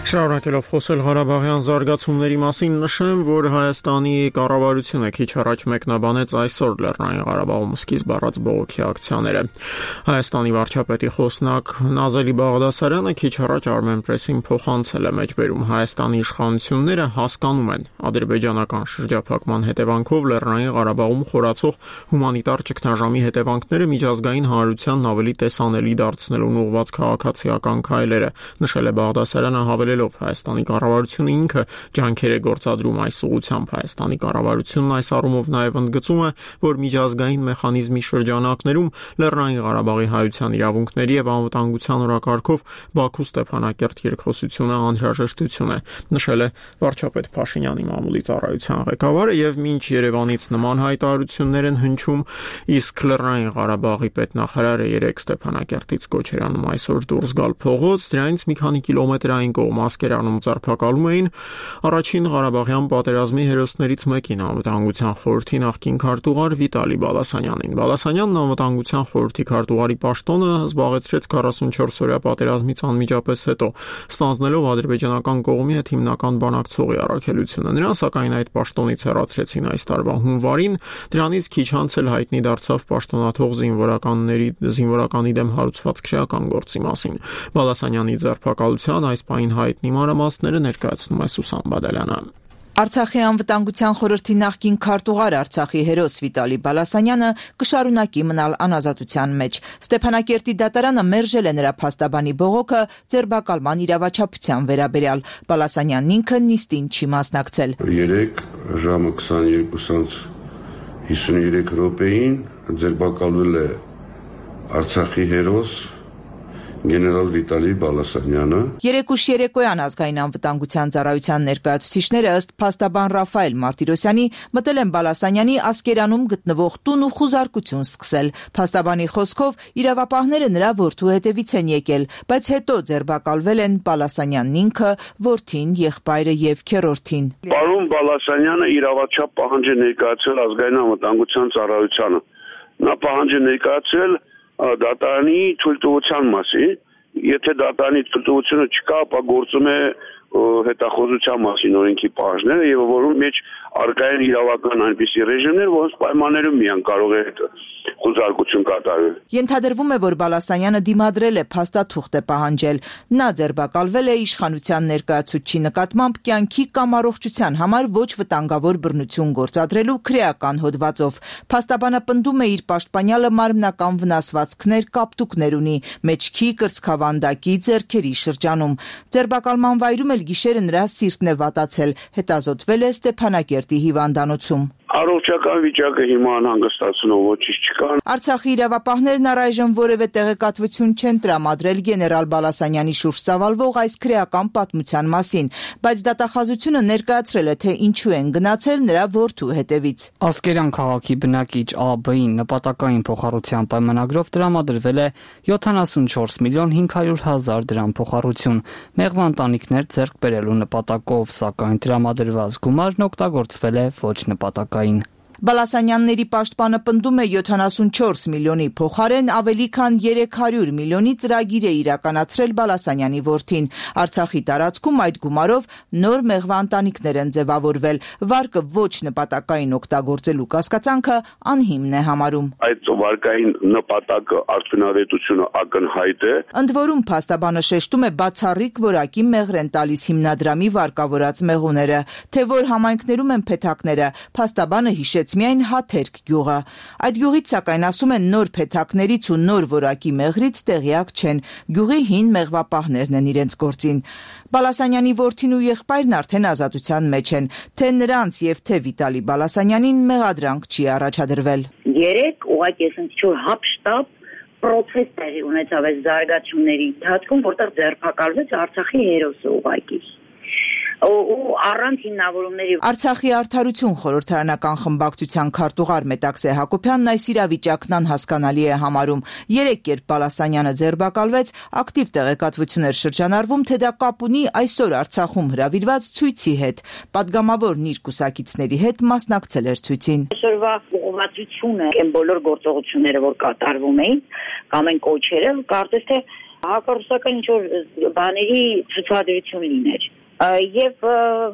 Շարունակելով խոսել Ղարաբաղյան զարգացումների մասին, նշեմ, որ Հայաստանի կառավարությունը քիչ առաջ մեկնաբանեց այսօր Լեռնային Ղարաբաղում սկիզբ առած բողոքի ակցիաները։ Հայաստանի վարչապետի խոսնակ Նազելի Բաղդասարյանը քիչ առաջ Armenpress-ին փոխանցել է մեջբերում Հայաստանի իշխանությունները հասկանում են ադրբեջանական շրջափակման հետևանքով Լեռնային Ղարաբաղում խորացող հումանիտար ճգնաժամի հետևանքները միջազգային հանրությանն ավելի տեսանելի դարձնելուն ուղղված քաղաքացիական քայլերը, նշել է Բաղդասարյանը, հավելելով Հայաստանի կառավարությունը ինքը ջանքեր է գործադրում այս ուղղությամբ։ Հայաստանի կառավարությունն այս առումով նաև ընդգծում է, որ միջազգային մեխանիզմի շրջանակներում Լեռնային Ղարաբաղի հայության իրավունքների եւ անվտանգության օրակարգով Բաքու Ստեփանակերտ երկխոսությունը անհրաժեշտություն է, նշել է վարչապետ Փաշինյանի մամուլի ծառայության ղեկավարը, եւ մինչ Երևանից նման հայտարարություններ են հնչում, իսկ Լեռնային Ղարաբաղի պետնախարարը 3 Ստեփանակերտից կոչ էր անում այսօր դուրս գալ փողոց, դրանից մի քանի կիլոմետրային կողմ Ասկերանում ձերբակալում էին առաջին Ղարաբաղյան պատերազմի հերոսներից մեկին, Անվտանգության խորհրդի նախկին քարտուղար Վիտալի Բալասանյանին։ Բալասանյանն Անվտանգության խորհրդի քարտուղարի պաշտոնը զբաղեցրեց 44-օրյա պատերազմից անմիջապես հետո, ստանձնելով ադրբեջանական կողմի հետ հիմնական բանակցողի առաքելությունը։ Նրան սակայն այդ պաշտոնից հեռացրեցին այս տարվա հունվարին, դրանից քիչ անց էլ հայտնի դարձավ պաշտոնաթող զինվորականի դեմ հարուցված քրեական գործի մասին։ Բալասանյանի ձերբակալության այս պահին հայտնի մանրամասները ներկայացնում է Սուսան Բադալյանը։ Արցախի անվտանգության խորհրդի նախկին քարտուղար Արցախի հերոս Վիտալի Բալասանյանը կշարունակի մնալ անազատության մեջ։ Ստեփանակերտի դատարանը մերժել է նրա փաստաբանի բողոքը ձերբակալման իրավաչափության վերաբերյալ։ Բալասանյանն ինքը նիստին չի մասնակցել։ 3 ժամը 22:53 րոպեին ձերբակալվել է Արցախի հերոս գեներալ Վիտալի Բալասանյանը։ Երեկուշ երեկոյան ազգային անվտանգության ծառայության ներկայացուցիչները ըստ փաստաբան Ռաֆայել Մարտիրոսյանի մտել են Բալասանյանի Ասկերանում գտնվող տուն ու խուզարկություն սկսել։ Փաստաբանի խոսքով իրավապահները նրա որդու հետևից են եկել, բայց հետո ձերբակալվել են Բալասանյանն ինքը, որդին, եղբայրը եւ քեռորդին։ Պարոն Բալասանյանը իրավաչափ պահանջ է ներկայացրել ազգային անվտանգության ծառայությանը։ Նա պահանջ է ներկայացրել դատարանի թույլտվության մասին, եթե դատարանի թույլտվությունը չկա, ապա գործում է հետախուզության մասին օրենքի պահանջները եւ որում մեջ արկա են իրավական այնպիսի ռեժիմներ, որոնց պայմաններում միան կարող է խոզարկություն կատարել։ Ենթադրվում է, որ Բալասանյանը դիմադրել է փաստաթուղթ է պահանջել։ Նա ձերբակալվել է իշխանության ներկայացուցչի նկատմամբ կյանքի կամ առողջության համար ոչ վտանգավոր բռնություն գործադրելու քրեական հոդվածով։ Փաստաբանը պնդում է իր պաշտպանյալը մարմնական վնասվածքներ, կապտուկներ ունի մեջքի, կրծքավանդակի, ձեռքերի շրջանում։ Ձերբակալման վայրում էլ գիշերը նրա սիրտն է վատացել, հետազոտվել է Ստեփանակերտի հիվանդանոցում։ Առողջական վիճակը հիմա անհանգստացնող ոչինչ չկա։ Արցախի իրավապահներն առայժմ որևէ տեղեկատվություն չեն տրամադրել գեներալ Բալասանյանի շուրջ ծավալվող այս քրեական պատմության մասին, բայց դատախազությունը ներկայացրել է, թե ինչու են գնացել նրա որդու հետևից։ Ասկերան քաղաքի բնակիչ ԱԲ-ին նպատակային փոխառության պայմանագրով տրամադրվել է 74 միլիոն 500 հազար դրամ փոխառություն։ Մեղվան տանիքներ ձեռք բերելու նպատակով, սակայն տրամադրված գումարն օգտագործվել է ոչ նպատակային։ Բալասանյանների պաշտպանը պնդում է 74 միլիոնի փոխարեն ավելի քան 300 միլիոնի ծրագիր է իրականացրել Բալասանյանի որդին։ Արցախի տարածքում այդ գումարով նոր մեղվանտանիքներ են ձևավորվել։ Վարկը ոչ նպատակային օգտագործելու կասկածանքը անհիմն է համարում։ Այդ վարկային նպատակը արդյունավետությունը ակնհայտ է։ Ընդ որում փաստաբանը շեշտում է բացառիկ որակի մեղր են տալիս հիմնադրամի վարկավորած մեղուները, թե որ համայնքներում են փեթակները։ Փաստաբանը հիշեց, մնացեց միայն Հաթերք գյուղը։ Այդ գյուղից սակայն ասում են նոր փեթակներից ու նոր որակի մեղրից տեղյակ չեն, գյուղի հին մեղվապահներն են իրենց գործին։ Բալասանյանի որդին ու եղբայրն արդեն ազատության մեջ են, թե նրանց եւ թե Վիտալի Բալասանյանին մեղադրանք չի առաջադրվել։ Երեք ուղղակի այսինքն հապշտապ պրոցես տեղի ունեցավ այս զարգացումների ընթացքում, որտեղ ձերբակալվեց Արցախի հերոսը ուղղակի։ Ու առանց հիմնավորումների Արցախի արդարություն խորհրդարանական խմբակցության քարտուղար Մետաքսե Հակոբյանն այս իրավիճակն անհասկանալի է համարում։ 3 կերպ Բալասանյանը ձերբակալվեց, ակտիվ տեղեկատվություն էր շրջանառվում, թե դա կապ ունի այսօր Արցախում հրավիրված ցույցի հետ։ Պատգամավորն իր կուսակիցների հետ մասնակցել էր ցույցին։ Այսօրվա ուղղվածությունը այն բոլոր գործողությունները, որ կատարվում էին, կամ այն կոչերը, կարծես թե հակառուսական ինչ-որ բաների ցուցադրություն լիներ։ Եվ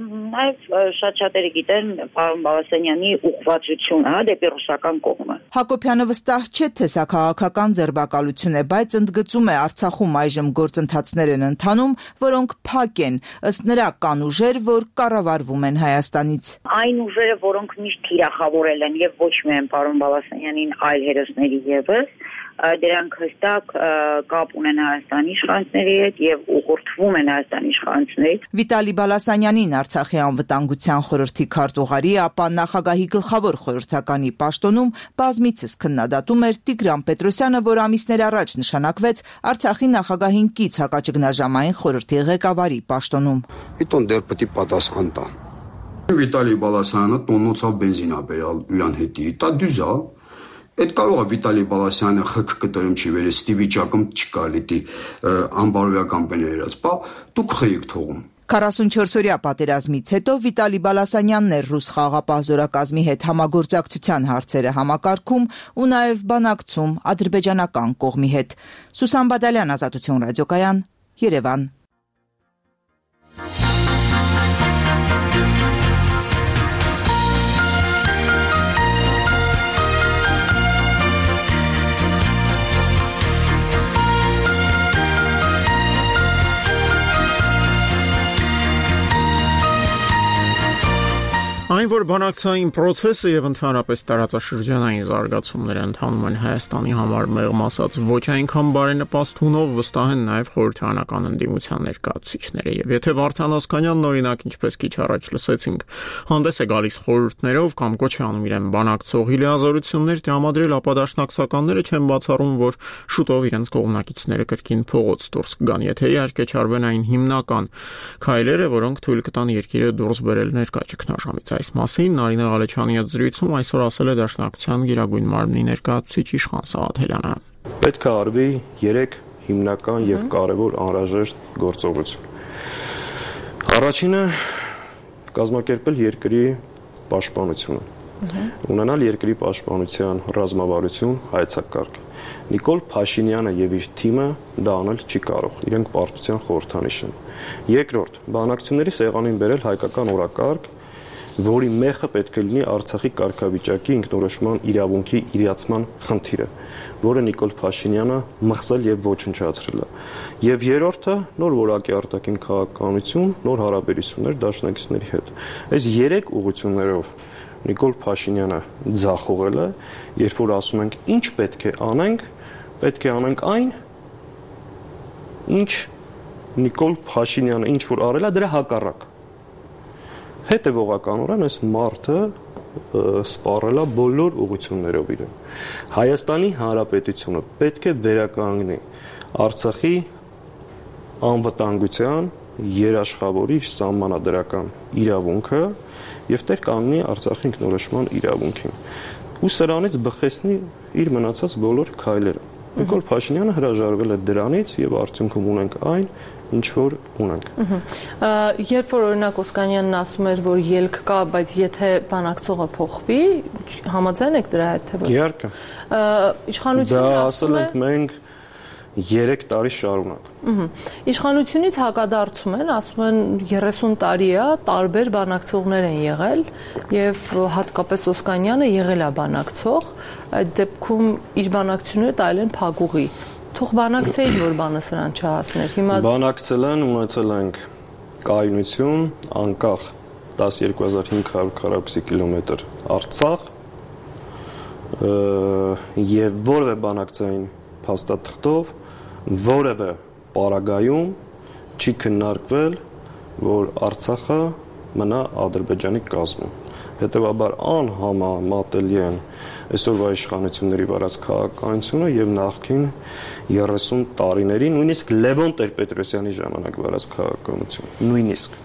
նաև շատ շատերը գիտեն պարոն Բալասանյանի ուղղվածությունը դեպի ռուսական կողմը։ Հակոբյանը վստահ չէ, թե սա քաղաքական ձերբակալություն է, բայց ընդգծում է Արցախում այժմ գործընթացներ են ընթանում, որոնք փակ են, ըստ նրա կան ուժեր, որ կառավարվում են Հայաստանից։ Այն ուժերը, որոնք միշտ թիրախավորել են եւ ոչ միայն պարոն Բալասանյանին, այլ հերոսների եւս, դրանք հստակ կապ ունեն Հայաստանի իշխանությունների հետ եւ ուղղորդվում են Հայաստանի իշխանություններից։ Վիտալի Բալասանյանին Արցախի անվտանգության խորհրդի քարտուղարի, ապա նախագահի գլխավոր խորհրդականի պաշտոնում բազմիցս քննադատում էր Տիգրան Պետրոսյանը, որ ամիսներ առաջ նշանակվեց Արցախի նախագահին կից հակաճգնաժամային խորհրդի ղեկավարի պաշտոնում։ Իտոն դեռ պետք է պատասխան տա։ Վիտալի Բալասանյանը տոննոցով բենզին ա բերալ իրան հետի, դա դյուզ է։ Այդ կարող է Վիտալի Բալասյանը խկ կտրում չի վերել, ստի վիճակում չկա լիտի անբարոյական բներած, բա դուք խեիք թողում։ 44-օրյա պատերազմից հետո Վիտալի Բալասանյանն էր ռուս խաղաղապահ զորակազմի հետ համագործակցության հարցերը համակարգում ու նաև բանակցում ադրբեջանական կողմի հետ։ Սուսան Բադալյան, Ազատություն ռադիոկայան, Երևան։ Այն, որ բանակցային պրոցեսը եւ ընդհանրապես տարածաշրջանային զարգացումները ընթանում են Հայաստանի համար մեղմ ասած ոչ այնքան բարենպաստ հունով, վստահ են նաեւ խորհրդարանական ընդդիմության ներկայացուցիչները։ Եվ եթե Վարդան Օսկանյանն օրինակ ինչպես քիչ առաջ լսեցինք, հանդես է գալիս խորհուրդներով կամ կոչ է անում իրեն բանակցողի լիազորություններ տրամադրել, ապա դաշնակցականները չեն բացառում, որ շուտով իրենց կողմնակիցները կրկին փողոց դուրս կգան, եթե իհարկե չարվեն այն հիմնական քայլերը, որոնք թույլ կտան երկիրը դուրս բերել ներկա ճգնաժամից։ Այս մասին Նարինե Ղալեչյանի հետ զրույցում այսօր ասել է Դաշնակցության Գերագույն մարմնի ներկայացուցիչ Իշխան Սաղաթելյանը։ Պետք է արվի 3 հիմնական եւ կարեւոր անհրաժեշտ գործողություն։ Առաջինը կազմակերպել երկրի պաշտպանությունը։ Ունենալ երկրի պաշտպանության ռազմավարություն, հայեցակարգ։ Նիկոլ Փաշինյանը եւ իր թիմը դա անել չի կարող։ Իրենք պարտության խորհրդանիշ են։ Երկրորդ, բանակցությունների սեղանին բերել հայկական օրակարգ, որի մեխը պետք է լինի Արցախի կարգավիճակի ինքնորոշման իրավունքի իրացման խնդիրը, որը Նիկոլ Փաշինյանը մխսել եւ ոչնչացրել է։ Եվ երրորդը նոր որակի արտաքին քաղաքականություն, նոր հարաբերություններ դաշնակիցների հետ։ Այս 3 ուղղություններով Նիկոլ Փաշինյանը ձախողել է, երբ որ ասում ենք ինչ պետք է անենք այն, ինչ Նիկոլ Փաշինյանը ինչ որ արել է դրա հակառակ։ Հետևողականորեն այս մարդը սպառել է բոլոր ուղղություններով իրեն։ Հայաստանի Հանրապետությունը պետք է վերականգնի Արցախի անվտանգության երաշխավորիչ սահմանադրական իրավունքը եւ տեր կանգնի Արցախի ինքնորոշման իրավունքին։ Ու սրանից բխեցնի իր մնացած բոլոր քայլերը։ Նիկոլ Փաշինյանը հրաժարվել է դրանից եւ արդյունքում ունենք այն, ինչ որ ունենք։ Երբ որ օրինակ Օսկանյանն ասում էր, որ ելք կա, բայց եթե բանակցողը փոխվի, համաձայն եք դրա հետ թե ոչ։ Իհարկե։ Իշխանությունը դա ասել ենք մենք 3 տարի շարունակ։ Իշխանությունից հակադարձում են, ասում են 30 տարի է, տարբեր բանակցողներ են եղել եւ հատկապես Օսկանյանը եղել է բանակցող, այդ դեպքում իր բանակցությունները տարել են փակուղի։ Թող բանակցեին, որ բանը սրան չհասներ։ Հիմա բանակցել են, ունեցել ենք կայունություն, անկախ 12500 քառակուսի կիլոմետր Արցախ, եւ որևէ բանակցային փաստաթղթով որևէ պարագայում չի քննարկվել, որ Արցախը մնա Ադրբեջանի կազմում։ Հետևաբար անհամեմատելի են այսօրվա իշխանությունների վարած քաղաքականությունը եւ նախկին 30 տարիների, նույնիսկ Լևոն Տեր-Պետրոսյանի ժամանակ վարած քաղաքականություն, նույնիսկ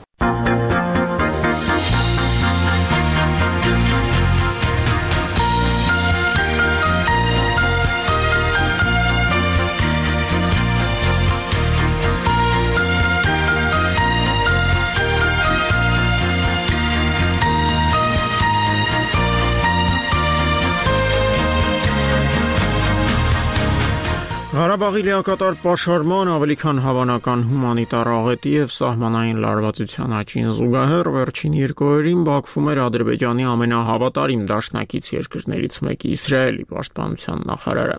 Ղարաբաղի լիակատար պաշարման, ավելի քան հավանական հումանիտար աղետի եւ սահմանային լարվածության աճին զուգահեռ վերջին երկու օրերին Բաքվում էր Ադրբեջանի ամենահավատարիմ դաշնակից երկրներից մեկի Իսրայելի պաշտպանության նախարարը։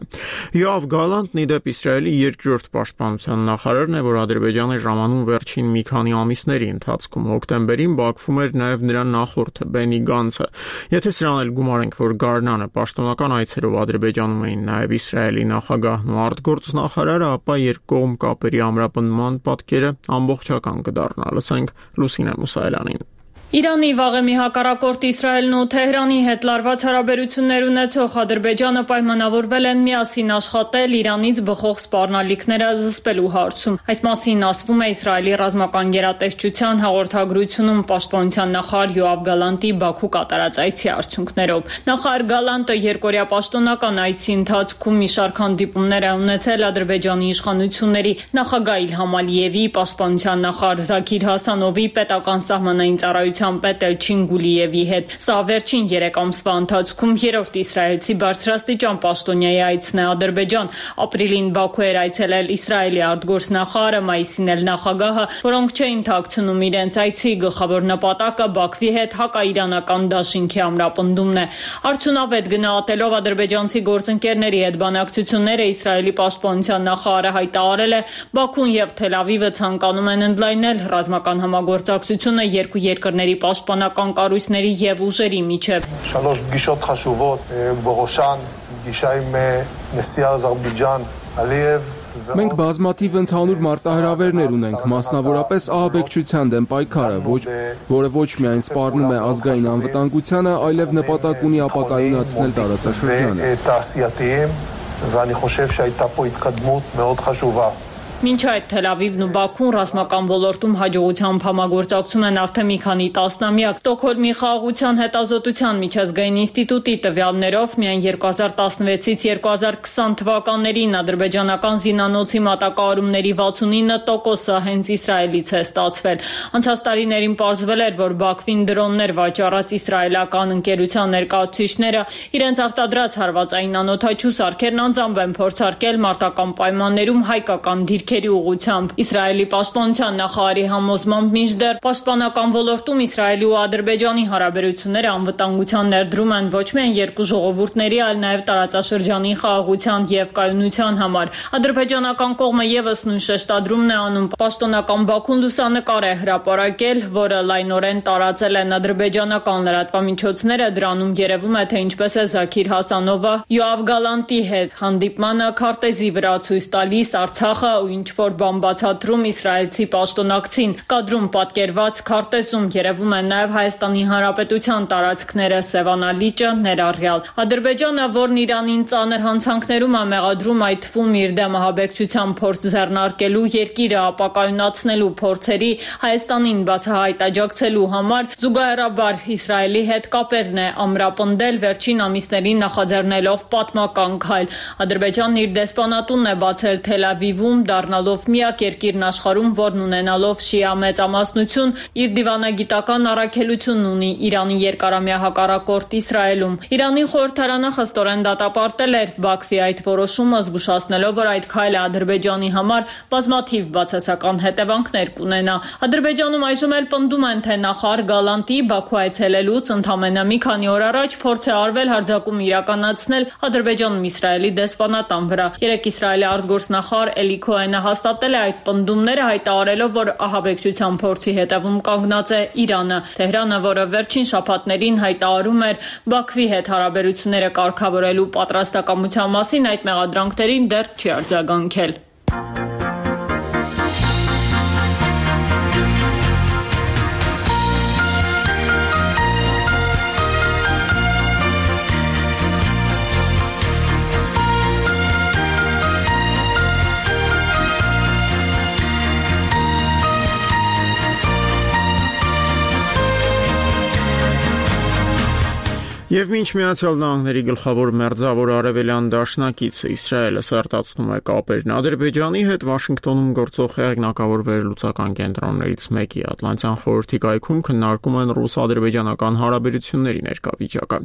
Յոավ Գալանտն ի դեպ Իսրայելի երկրորդ պաշտպանության նախարարն է, որ Ադրբեջանի ժամանում վերջին մի քանի ամիսների ընթացքում հոկտեմբերին Բաքվում էր նաեւ նրա նախորդը Բենի Գանցը։ Եթե սրան էլ գումարենք, որ Գարնանը պաշտոնական այցերով Ադրբեջանում էին նաեւ Իսրայելի նախագահն ու գործնախարարը, ապա երկկողմ կապերի ամրապնդման պատկերը ամբողջական կդառնա։ Լսենք Լուսինե Մուսայելյանին։ Իրանի վաղեմի հակառակորդ Իսրայելն ու Թեհրանի հետ լարված հարաբերություններ ունեցող Ադրբեջանը պայմանավորվել են միասին աշխատել Իրանից բխող սպառնալիքները զսպելու հարցում։ Այս մասին ասվում է Իսրայելի ռազմական գերատեսչության հաղորդագրությունում պաշտպանության նախարար Յոավ Գալանտի Բաքու կատարած այցի արդյունքներով։ Նախարար Գալանտը երկօրյա պաշտոնական այցի ընթացքում մի շարք հանդիպումներ է ունեցել Ադրբեջանի իշխանությունների նախագահ Իլհամ Ալիևի, պաշտպանության նախարար Զաքիր Հասանովի, պետական սահմանային ծառայության պետ Էլչին Գուլիևի հետ։ Սա վերջին 3 ամսվա ընթացքում երրորդ իսրայելցի բարձրաստիճան պաշտոնյայի այցն է Ադրբեջան։ Ապրիլին Բաքու էր այցելել Իսրայելի արտգործնախարարը, մայիսին էլ նախագահը, որոնք չէին թաքցնում իրենց այցի գլխավոր նպատակը Բաքվի հետ հակաիրանական դաշինքի ամրապնդումն է։ Արդյունավետ գնահատելով ադրբեջանցի գործընկերների հետ բանակցությունները Իսրայելի պաշտպանության նախարարը հայտարարել է, Բաքուն եւ Թել Ավիվը ցանկանում են ընդլայնել ռազմական համագործակցությունը երկու երկրների պաշտպանական կառույցների եւ ուժերի միջև։ Շալոշ գիշոտ խաշուվոտ բողոշան գիշայում նեսի Ադրբեջան Ալիև Մենք բազմաթիվ ընդհանուր մարտահրավերներ ունենք, մասնավորապես ահաբեկչության դեմ պայքարը, որը ոչ միայն սպառնում է ազգային անվտանգությանը, այլև նպատակ ունի ապակայունացնել տարածաշրջանը։ ואני חושב שהייתה פה התקדמות מאוד חשובה. Մինչ այդ Թել Ավիվն ու Բաքուն ռազմական ոլորտում հաջողությամբ համագործակցում են արդեն մի քանի տասնամյակ։ Ստոկհոլմի խաղաղության հետազոտության միջազգային ինստիտուտի տվյալներով միայն 2016-ից 2020 թվականներին ադրբեջանական զինանոցի մատակարարումների 69%-ը հենց Իսրայելից է ստացվել։ Անցած տարիներին պարզվել էր, որ Բաքվին դրոններ վաճառած իսրայելական ընկերության ներկայացուցիչները իրենց արտադրած հարվածային անօդաչու սարքերն անձամբ են փորձարկել մարտական պայմաններում հայկական դիրքերի ուղղությամբ։ Իսրայելի պաշտպանության նախարարի համոզմամբ մինչդեռ պաշտպանական ոլորտում Իսրայելի ու Ադրբեջանի հարաբերությունները անվտանգության ներդրում են ոչ միայն երկու ժողովուրդների, այլ նաև տարածաշրջանի խաղաղության եւ կայունության համար։ Ադրբեջանական կողմը եւս նույն շեշտադրումն է անում։ Պաշտոնական Բաքուն լուսանկար է հրապարակել, որը լայնորեն տարածել են ադրբեջանական լրատվամիջոցները։ Դրանում երևում է, թե ինչպես է Զաքիր Հասանովը Յոավ Գալանտի հետ հանդիպմանը քարտեզի վրա ցույց տալիս Արցախը ու ինչ-որ բան բացատրում իսրայելցի պաշտոնակցին։ Կադրում պատկերված քարտեզում երևում են նաև Հայաստանի Հանրապետության տարածքները, Սևանա լիճը ներառյալ։ Ադրբեջանը, որն Իրանին ծանր հանցանքներում է մեղադրում, այդ թվում իր դեմ ահաբեկչության փորձ ձեռնարկելու, երկիրը ապակայունացնելու փորձերի Հայաստանին բացահայտ աջակցելու համար, զուգահեռաբար Իսրայելի հետ կապերն է ամրապնդել, վերջին ամիսներին նախաձեռնելով պատմական քայլ։ Ադրբեջանն իր դեսպանատունն է բացել Թել Ավիվում, դառնալով միակ երկիրն աշխարհում, որն ունենալով շիա մեծամասնություն, իր դիվանագիտական առաքելությունն ունի Իրանի երկարամյա հակառակորդ Իսրայելում։ Իրանի խորհրդարանը խստորեն դատապարտել էր Բաքվի այդ որոշումը, զգուշացնելով, որ այդ քայլը Ադրբեջանի համար բազմաթիվ բացասական հետևանքներ կունենա։ Ադրբեջանում այժմ էլ պնդում են, թե նախարար Գալանտի Բաքու այցելելուց ընդամենը մի քանի օր առաջ փորձ է արվել հարձակում իրականացնել Ադրբեջանում Իսրայելի դեսպանատան վրա։ Երեք Իսրայելի արտգործնախարար Էլի Քոհենը Փաշինյանը հաստատել է այդ պնդումները, հայտարարելով, որ ահաբեկչության փորձի հետևում կանգնած է Իրանը։ Թեհրանը, որը վերջին շաբաթներին հայտարարում էր Բաքվի հետ հարաբերությունները կարգավորելու պատրաստակամության մասին, այդ մեղադրանքներին դեռ չի արձագանքել։ Եվ մինչ Միացյալ Նահանգների գլխավոր մերձավոր արևելյան դաշնակիցը Իսրայելը սերտացնում է կապերն Ադրբեջանի հետ, Վաշինգտոնում գործող հեղինակավոր վերլուծական կենտրոններից մեկի Ատլանտյան խորհրդի կայքում քննարկում են ռուս-ադրբեջանական հարաբերությունների ներկա վիճակը։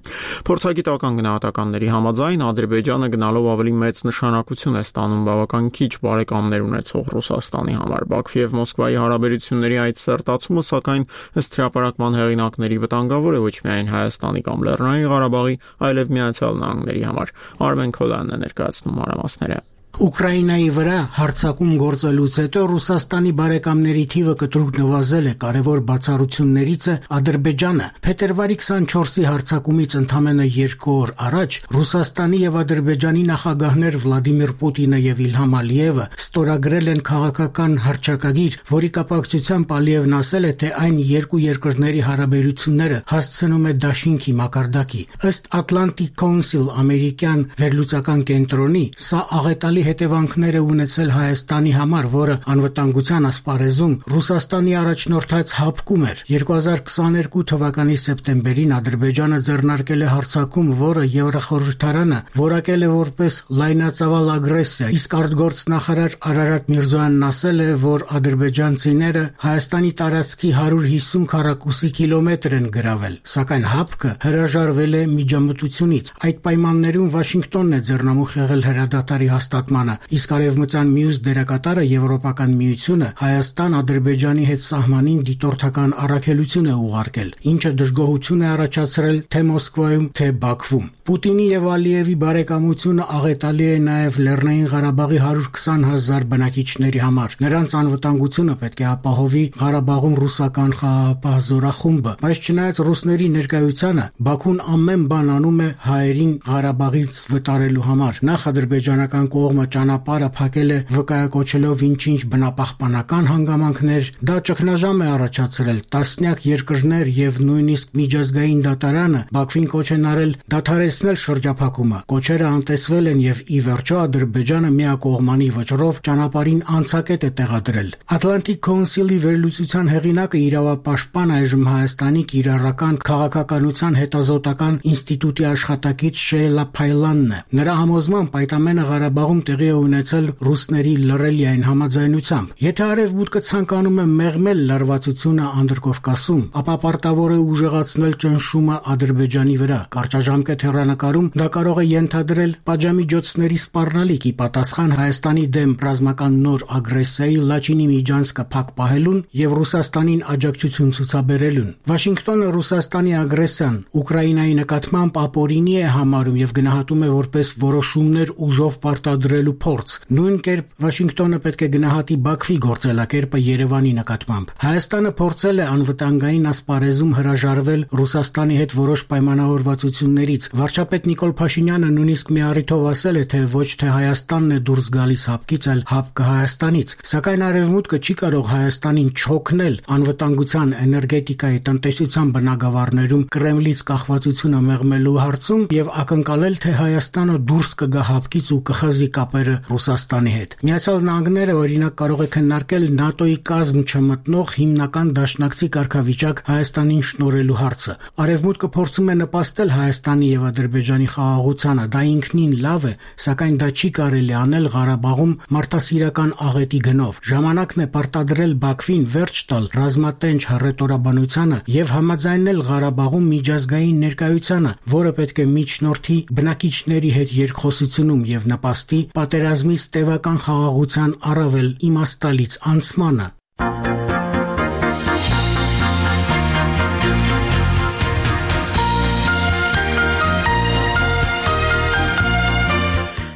Փորձագիտական գնահատականների համաձայն Ադրբեջանը գնալով ավելի մեծ նշանակություն է ստանում բավական քիչ բարեկամներ ունեցող Ռուսաստանի համար։ Բաքվի եւ Մոսկվայի հարաբերությունների այդ սերտացումը, սակայն, ըստ հրապարակման հեղինակների, վտանգավոր է ոչ միայն Հայաստանի կամ Լեռնային Ղարաբաղի, այլև Միացյալ Նահանգների համար։ Արմեն Քոլյանն է ներկայացնում մանրամասները։ Ուկրաինայի վրա հարձակում գործելուց հետո Ռուսաստանի բարեկամների թիվը կտրուկ նվազել է, կարևոր բացառություններից է Ադրբեջանը։ Փետրվարի 24-ի հարձակումից ընդամենը 2 օր առաջ Ռուսաստանի եւ Ադրբեջանի նախագահներ Վլադիմիր Պուտինը եւ Իլհամ Ալիևը ստորագրել են քաղաքական հռչակագիր, որի կապակցությամբ Ալիևն ասել է, թե այն երկու երկրների հարաբերությունները հասցնում է դաշինքի մակարդակի։ Ըստ Atlantic Council ամերիկյան վերլուծական կենտրոնի, սա աղետալի հետևանքներ է ունեցել Հայաստանի համար, որը անվտանգության ասպարեզում Ռուսաստանի առաջնորդած հապկում էր։ 2022 թվականի սեպտեմբերին Ադրբեջանը ձեռնարկել է հարձակում, որը Եվրախորհրդարանը որակել է որպես լայնածավալ ագրեսիա, իսկ արտգործնախարար Արարատ Միրզոյանն ասել է, որ ադրբեջանցիները Հայաստանի տարածքի 150 քառակուսի կիլոմետր են գրավել, սակայն հապկը հրաժարվել է միջամտությունից։ Այդ պայմաններում Վաշինգտոնն է ձեռնամուխ եղել հրադադարի հաստատմանը, իսկ արևմտյան մյուս դերակատարը Եվրոպական միությունը Հայաստան-Ադրբեջանի հետ սահմանին դիտորդական առաքելություն է ուղարկել, ինչը դժգոհություն է առաջացրել թե Մոսկվայում, թե Բաքվում։ Պուտինի եւ Ալիևի բարեկամությունը աղետալի է նաեւ Լեռնային Ղարաբաղի 120,000 բնակիչների համար։ Նրանց անվտանգությունը պետք է ապահովի Ղարաբաղում ռուսական խաղաղապահ զորախումբը, բայց չնայած ռուսների ներկայությանը, Բաքուն ամեն բան անում է հայերին Ղարաբաղից վտարելու համար։ Նախ ադրբեջանական կողմը ճանապարհը փակել է վկայակոչելով ինչ-ինչ բնապահպանական հանգամանքներ, դա ճգնաժամ է առաջացրել։ Տասնյակ երկրներ եւ նույնիսկ միջազգային դատարանը Բաքվին կոչ են արել դադարեցնել շրջափակումը։ Կոչերը անտեսվել են եւ ի վերջո Ադրբեջանը միակողմանի վճռով ճանապարհին անցակետ է տեղադրել։ Atlantic Council-ի վերլուծության հեղինակը իրավապաշտպան այժմ Հայաստանի կիրառական քաղաքականության հետազոտական ինստիտուտի աշխատակից Շեյլա Փայլանն է։ Նրա համոզմամբ այդ ամենը Ղարաբաղում տեղի է ունեցել ռուսների լռելիային համաձայնությամբ։ Եթե Արևմուտքը ցանկանում է մեղմել լարվածությունը Անդրկովկասում, ապա պարտավոր է ուժեղացնել ճնշումը Ադրբեջանի վրա։ Կարճաժամկետ հեռանկարում դա կարող է ենթադրել պատժամիջոցների սպառնալիք ի պատասխան Հայաստանի դեմ ռազմական նոր ագրեսիայի Լաչինի միջանցքը փակ պահելուն եւ Ռուսաստանին աջակցություն ցուցաբերելուն։ Վաշինգտոնը Ռուսաստանի ագրեսիան Ուկրաինայի նկատմամբ ապօրինի է համարում եւ գնահատում է որպես որոշումներ ուժով պարտադրելու փորձ։ Նույն կերպ Վաշինգտոնը պետք է գնահատի Բաքվի գործելակերպը Երևանի նկատմամբ։ Հայաստանը փորձել է անվտանգային ասպարեզում հրաժարվել Ռուսաստանի հետ որոշ պայմանավորվածություններից։ Վարչապետ Նիկոլ Փաշինյանը նույնիսկ մի առիթով ասել է, թե ոչ թե Հայաստանն է դուրս գալիս հապկից, այլ հապկը Հայաստանից։ Սակայն Արևմուտքը չի կարող Հայաստանին չօգնել անվտանգության, էներգետիկայի, տնտեսության բնագավառներում Կրեմլից կախվածությունը մեղմելու հարցում եւ ակնկալել, թե Հայաստանը դուրս կգա հապկից ու կխզի կապերը Ռուսաստանի հետ։ Միացյալ Նահանգները օրինակ կարող է քննարկել ՆԱՏՕ-ի կազմ չմտնող հիմնական դաշնակցի կարգավիճակ Հայաստանին շնորհելու հարցը։ Արևմուտքը փորձում է նպաստել Հայաստանի եւ Ադրբեջանի խաղաղությանը, դա ինքնին լավ է, սակայն դա չի կարելի անել Ղարաբաղում մարդասիրական աղետի գնով։ Ժամանակն է պարտադրել Բաքվին վերջ տալ ռազմատենչ հռետորաբանությանը եւ համաձայնել Ղարաբաղում միջազգային ներկայությանը, որը պետք է միջնորդի բնակիչների հետ երկխոսությունում եւ նպաստի պատերազմի ստեվական խաղաղության առավել իմաստալից անցմանը։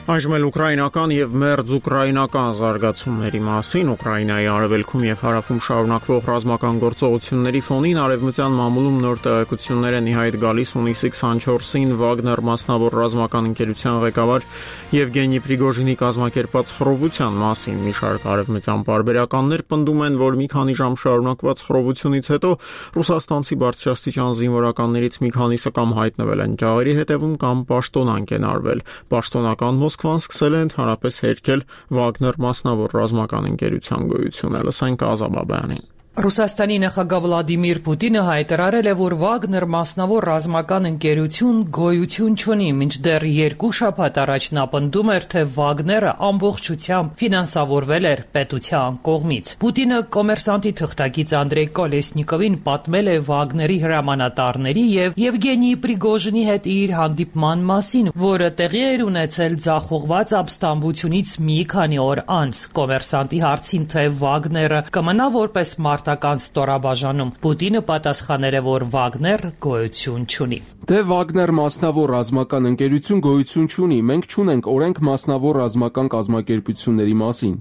Այժմ էլ ուկրաինական եւ մերձ ուկրաինական զարգացումների մասին Ուկրաինայի արևելքում եւ հարավում շարունակվող ռազմական գործողությունների ֆոնին արևմտյան մամուլում նոր տեղեկություններ են ի հայտ գալիս հունիսի 24-ին Վագներ մասնավոր ռազմական ընկերության ղեկավար Եվգենի Պրիգոժինի կազմակերպած խռովության մասին։ Մի շարք արևմտյան պարբերականներ պնդում են, որ մի քանի ժամ շարունակված խռովությունից հետո ռուսաստանցի բարձրաստիճան զինվորականներից մի քանիսը կամ հայտնվել են ջահերի հետևում կամ պաշտոնանկ են արվել։ Պաշտոնական Մոսկվան սկսել է ընդհանրապես հերքել Վագներ մասնավոր ռազմական ընկերության գոյությունը։ Լսենք Ազաբաբյանին։ Ռուսաստանի նախագահ Վլադիմիր Պուտինը հայտարարել է, որ Վագներ մասնավոր ռազմական ընկերություն գոյություն չունի, մինչդեռ 2 շաբաթ առաջ նա պնդում էր, թե Վագները ամբողջությամբ ֆինանսավորվել էր պետության կողմից։ Պուտինը կոմերսանտի թղթակից Անդրեյ Կոլեսնիկովին պատմել է Վագների հրամանատարների եւ Եվգենի Պրիգոժինի հետ իր հանդիպման մասին, որը տեղի էր ունեցել ձախողված ապստամբությունից մի քանի օր անց։ Կոմերսանտի հարցին, թե Վագները կմնա որպես մարտական ստորաբաժանում, Պուտինը պատասխանել է, որ Վագներ գոյություն չունի։ Դե Վագներ մասնավոր ռազմական ընկերություն գոյություն չունի, մենք չունենք օրենք մասնավոր ռազմական կազմակերպությունների մասին։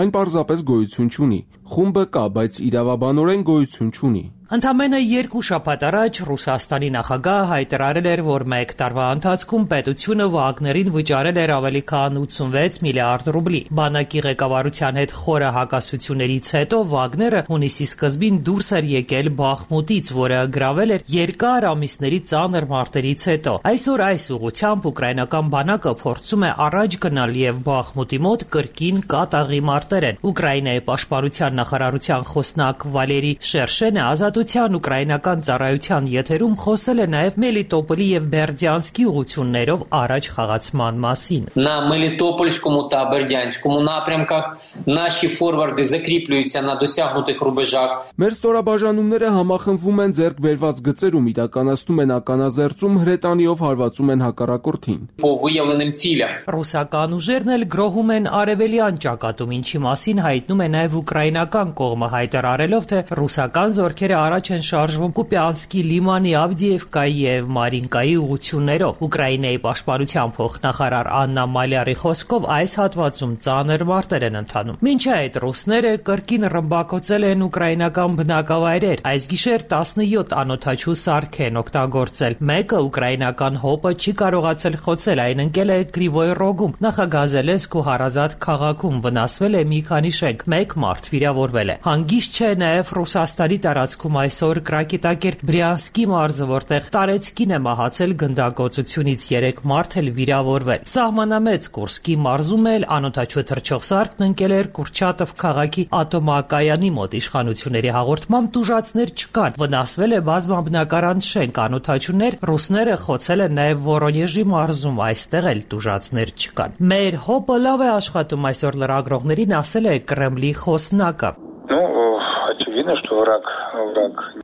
Այն պարզապես գոյություն չունի։ Խումբը կա, բայց իրավաբանորեն գոյություն չունի։ Ընդամենը 2 շաբաթ առաջ Ռուսաստանի նախագահը հայտարարել էր, որ 1 տարվա ընթացքում պետությունը Վագներին վճարել էր ավելի քան 86 միլիարդ ռուբլի։ Բանակի ղեկավարության հետ խորը հակասություններից հետո Վագները հունիսի սկզբին դուրս էր եկել Բախմուտից, որը գրավել էր երկար ամիսների ծանր մարտերից հետո։ Այսօր այս ուղղությամբ ուկրաինական բանակը փորձում է առաջ գնալ եւ Բախմուտի մոտ կրկին կատաղի մարտեր են։ Ուկրաինայի պաշտպանության նախարարության խոսնակ Վալերի Շերշենը ազատության ուկրաինական ծառայության եթերում խոսել է նաև Մելիտոպոլի եւ Բերդյանսկի ուղղություններով առաջ խաղացման մասին։ На Мелітопольському та Бердянському напрямках наші форварди закріплюються на досягнутих рубежах. Մեր ստորաբաժանումները համախմբվում են ձեռք բերված գծերում, իրականացնում են ականազերծում, հրետանիով հարվածում են հակառակորդին։ По виявленим цілям. Ռուսական ուժերն էլ գրոհում են արևելյան ճակատում, ինչի մասին հայտնում է նաև ուկրաինական կողմը, հայտարարելով, թե ռուսական զորքերը առաջ են շարժվում Կուպյանսկի լիմանի, Ավդիևկայի եւ Մարինկայի ուղղություններով։ Ուկրաինայի պաշտպանության փոխնախարար Աննա Մալյարի խոսքով այս հատվածում ծանր մարտեր են ընթանում։ Մինչ այդ ռուսները կրկին ռմբակոծել են ուկրաինական բնակավայրեր։ Այս գիշեր 17 անօդաչու սարք են օգտագործել։ Մեկը ուկրաինական հոպը չի կարողացել խոցել, այն ընկել է Կրիվոյ Ռոգում, Նախագազելենսկ ու Հարազատ քաղաքում, վնասվել է մի քանի շենք, 1 մարդ վիրավորվել է։ Հանգիստ չէ նաև Ռուսաստանի տարածքում այսօր Կրակիտակեր Բրյանսկի մարզը, որտեղ Տարեցկին է մահացել գնդակոծությունից, 3 մարդ էլ վիրավորվել։ Սահմանամեծ Կուրսկի մարզում էլ անօդաչու թռչող սարքն ընկել էր Կուրչատով քաղաքի ատոմակայանի մոտ։ Իշխանությունների հաղորդմամբ տուժածներ չկան։ Վնասվել է բազմաբնակարան շենք, անօդաչուներ ռուսները խոցել են նաև Վորոնեժի մարզում, այստեղ էլ տուժածներ չկան։ Մեր հոպը լավ է աշխատում, այսօր լրագրողներին ասել է Կրեմլի խոսնակը։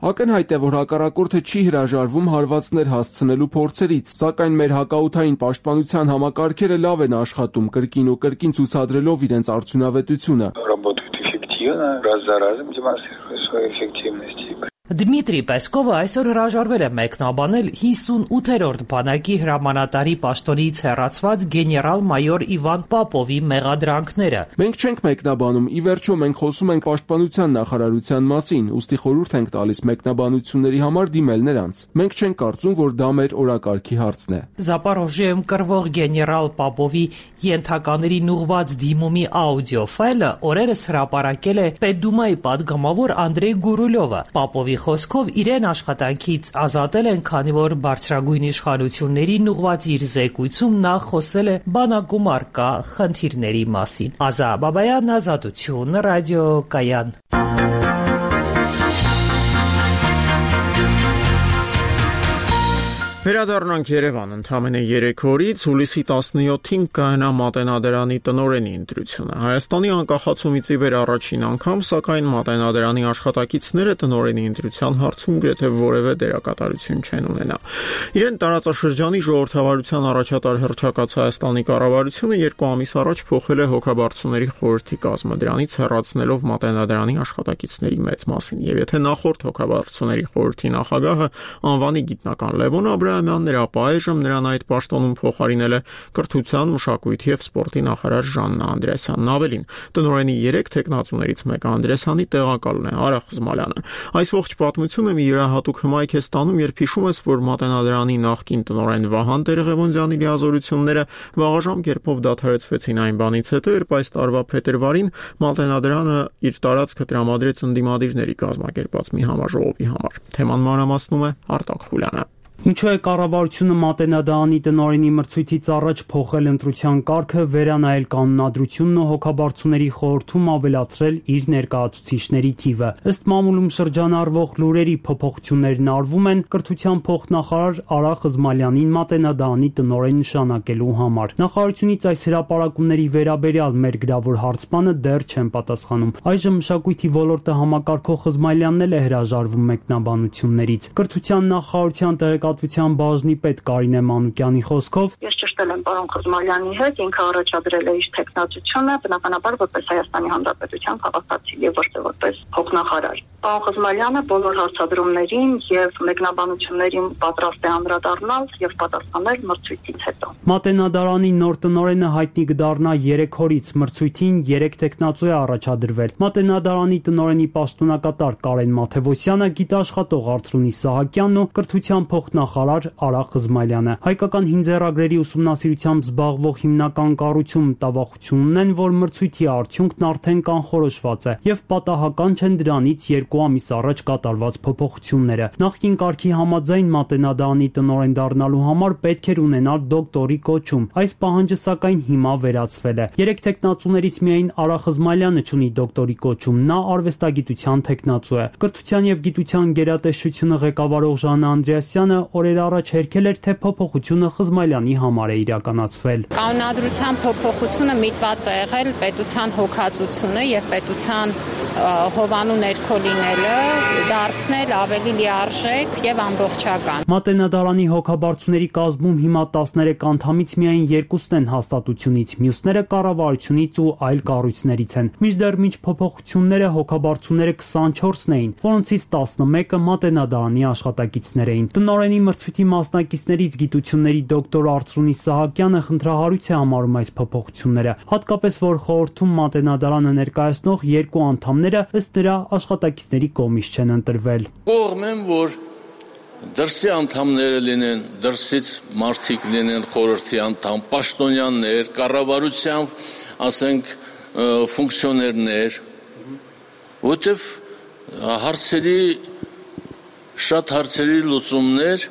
Ակնհայտ է, որ հակառակորդը չի հրաժարվում հարվածներ հասցնելու փորձերից, սակայն մեր հակաօդային պաշտպանության համակարգերը լավ են աշխատում, կրկին ու կրկին ցուցադրելով իրենց արդյունավետությունը։ Դմիտրի Պեսկովը այսօր հրաժարվել է մեկնաբանել 58-րդ բանակի հրամանատարի պաշտոնից հեռացված գեներալ-մայոր Իվան Պապովի մեղադրանքները։ Մենք չենք մեկնաբանում, ի վերջո մենք խոսում ենք պաշտպանության նախարարության մասին, ուստի խորհուրդ ենք տալիս մեկնաբանությունների համար դիմել նրանց։ Մենք չենք կարծում, որ դա մեր օրակարգի հարցն է։ Զապորոժիայում կռվող գեներալ Պապովի ենթականերին ուղղված դիմումի աուդիո ֆայլը օրերս հրապարակել է Պետդումայի պատգամավոր Անդրեյ Գուրուլյովը։ Պապովի խոսքով իրեն աշխատանքից ազատել են, քանի որ բարձրագույն իշխանություններին ուղղված իր զեկույցում նա խոսել է բանակում առկա խնդիրների մասին։ Ազա Բաբայան, Ազատություն, ռադիոկայան։ Վերադառնանք Երևան, ընդամենը 3 օրից հուլիսի 17-ին կայանա Մատենադարանի տնօրենի ընտրությունը։ Հայաստանի անկախացումից ի վեր առաջին անգամ, սակայն Մատենադարանի աշխատակիցները տնօրենի ընտրության հարցում գրեթե որևէ դերակատարություն չեն ունենա։ Իրեն տարածաշրջանի ժողովրդավարության առաջատար հռչակած Հայաստանի կառավարությունը 2 ամիս առաջ փոխել է հոգաբարձուների խորհրդի կազմը, դրանից հեռացնելով Մատենադարանի աշխատակիցների մեծ մասին։ Եվ եթե նախորդ հոգաբարձուների խորհրդի նախագահը անվանի գիտնական Լևոն Աբրահամյանն էր, ապա այժմ նրան այդ պաշտոնում փոխարինել է կրթության, մշակույթի եւ սպորտի նախարար Ժաննա Անդրեասյանն։ Ավելին, տնօրենի 3 տեխնացուներից մեկը Անդրեասյանի տեղակալն է, Արա Խզմալյանը։ Այս ողջ պատմությունը մի յուրահատուկ հմայք է ստանում, երբ հիշում ես, որ Մատենադարանի նախկին տնօրեն Վահան Տեր-Ղևոնդյանի լիազորությունները վաղաժամ կերպով դադարեցվեցին այն բանից հետո, երբ այս տարվա փետրվարին Մատենադարանը իր տարածքը տրամադրեց ընդդիմադիրների կազմակերպած մի համաժողովի համար։ Թեման մանրամասնում է Արտակ Խուլյանը։ Ինչու է կառավարությունը Մատենադարանի տնօրենի մրցույթից առաջ փոխել ընտրության կարգը, վերանայել կանոնադրությունն ու հոգաբարձուների խորհրդում ավելացրել իր ներկայացուցիչների թիվը։ Ըստ մամուլում շրջանառվող լուրերի փոփոխություններն արվում են կրթության փոխնախարար Արա Խզմալյանին Մատենադարանի տնօրեն նշանակելու համար։ Նախարարությունից այս հրապարակումների վերաբերյալ մեր գրավոր հարցմանը դեռ չեն պատասխանում։ Այժմ մշակույթի ոլորտը համակարգող Խզմալյանն էլ է հրաժարվում մեկնաբանություններից։ Կրթության նախարարության տեղեկատվության բաժնի պետ Կարինե Մանուկյանի խոսքով Ես ճշտել եմ պարոն Խզմալյանի հետ, ինքը առաջադրել է իր տեխնացությունը, բնականաբար որպես Հայաստանի Հանրապետության քաղաքացի եւ ոչ թե որպես փոխնախարար։ Պարոն Խզմալյանը բոլոր հարցադրումներին եւ մեկնաբանություններին պատրաստ է անդրադառնալ եւ պատասխանել մրցույթից հետո։ Մատենադարանի նոր տնօրենը հայտնի կդառնա 3 օրից, մրցույթին 3 տեխնացու է առաջադրվել։ Մատենադարանի տնօրենի պաշտոնակատար Կարեն Մաթևոսյանը, գիտաշխատող Արծրունի Սահակյանն ու կրթության փոխնախարար Արա Խզմալյանը։ Հայկական հինձեռագրերի ուսումնասիրությամբ զբաղվող հիմնական կառույցում մտավախություն ունեն, որ մրցույթի արդյունքն արդեն կանխորոշված է եւ պատահական չեն դրանից 2 ամիս առաջ կատարված փոփոխությունները։ Նախկին կարգի համաձայն Մատենադարանի տնօրեն դառնալու համար պետք էր ունենալ դոկտորի կոչում։ Այս պահանջը սակայն հիմա վերացվել է։ 3 տեխնացուներից միայն Արա Խզմալյանը ունի դոկտորի կոչում, նա արվեստագիտության տեխնացու է։ Կրթության եւ գիտության գերատեսչությունը ղեկավարող Ժաննա Անդրեասյանը օրեր առաջ հերքել էր, թե փոփոխությունը Խզմալյանի համար է իրականացվել։ Կանոնադրության փոփոխությունը միտված է եղել պետության հոգացությունը եւ պետության հովանու ներքո լինելը դարձնել ավելի լիարժեք եւ ամբողջական։ Մատենադարանի հոգաբարձուների կազմում հիմա 13 անդամից միայն 2-ն են հաստատությունից, մյուսները կառավարությունից ու այլ կառույցներից են։ Մինչդեռ մինչ փոփոխությունները հոգաբարձուները 24-ն էին, որոնցից 11-ը Մատենադարանի աշխատակիցներ էին։ Տնօրենի մրցույթի մասնակիցներից գիտությունների դոկտոր Արծրունի Սահակյանը խնդրահարույց է համարում այս փոփոխությունները, հատկապես որ խորհրդում Մատենադարանը ներկայացնող 2 անդամները ըստ նրա աշխատակիցների կողմից չեն ընտրվել։ Կողմ եմ, որ դրսի անդամները լինեն, դրսից մարդիկ լինեն, խորհրդի անդամ, պաշտոնյաներ, կառավարության, ասենք, ֆունկցիոներներ, որտեվ շատ հարցերի լուծումներ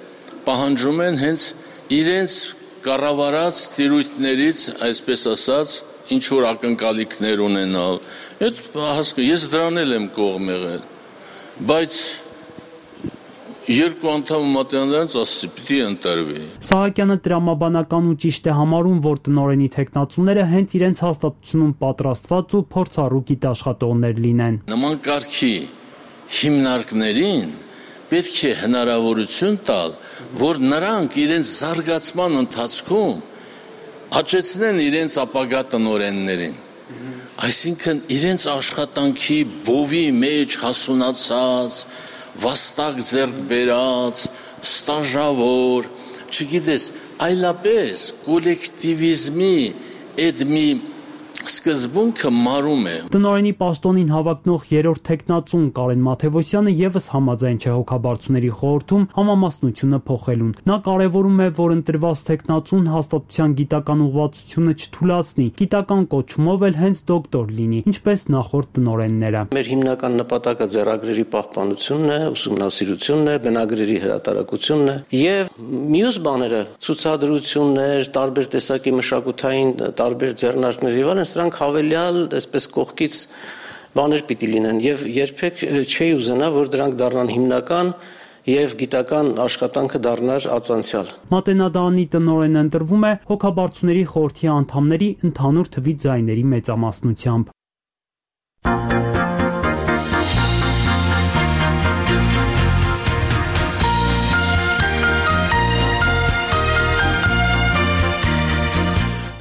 պահանջում են հենց իրենց կառավարած տիրույթներից, այսպես ասած, ինչ որ ակնկալիքներ ունենալ։ Ես դրան եմ կողմ եղել, բայց 2 անդամ Մատենադարանից ասեցի պիտի ընտրվի։ Սահակյանը տրամաբանական ու ճիշտ է համարում, որ տնօրենի տեխնացուները հենց իրենց հաստատությունում պատրաստված ու փորձառու գիտաշխատողներ լինեն։ Նման կարգի հիմնարկներին պետք է հնարավորություն տալ, որ նրանք իրենց զարգացման ընթացքում աճեցնեն իրենց ապագա տնօրեններին։ Այսինքն իրենց աշխատանքի բովի մեջ հասունացած, վաստակ ձեռք բերած, ստաժավոր, չգիտես, այլապես կոլեկտիվիզմի այդ մի սկզբունքը մարում է։ Տնօրենի պաշտոնին հավակնող 3-րդ տեխնացուն Կարեն Մաթևոսյանը եւս համաձայն չէ հոգաբարձուների խորհրդում համամասնությունը փոխելուն։ Նա կարևորում է, որ ընտրված տեխնացուն հաստատության գիտական ուղղվածությունը չթուլացնի, գիտական կոչումով էլ հենց դոկտոր լինի, ինչպես նախորդ տնօրենները։ Մեր հիմնական նպատակը ձեռագրերի պահպանությունն է, ուսումնասիրությունն է, բնագրերի հրատարակությունն է եւ մյուս բաները, ցուցադրություններ, տարբեր տեսակի մշակութային տարբեր ձեռնարկներ եւ սրանք հավելյալ, այսպես կողքից բաներ պիտի լինեն եւ երբեք չի ուզենա, որ դրանք դառնան հիմնական եւ գիտական աշխատանքը դառնար ածանցյալ։ Մատենադարանի տնօրենը ընտրվում է հոգաբարձուների խորհրդի անդամների ընդհանուր թվի ձայների մեծամասնությամբ։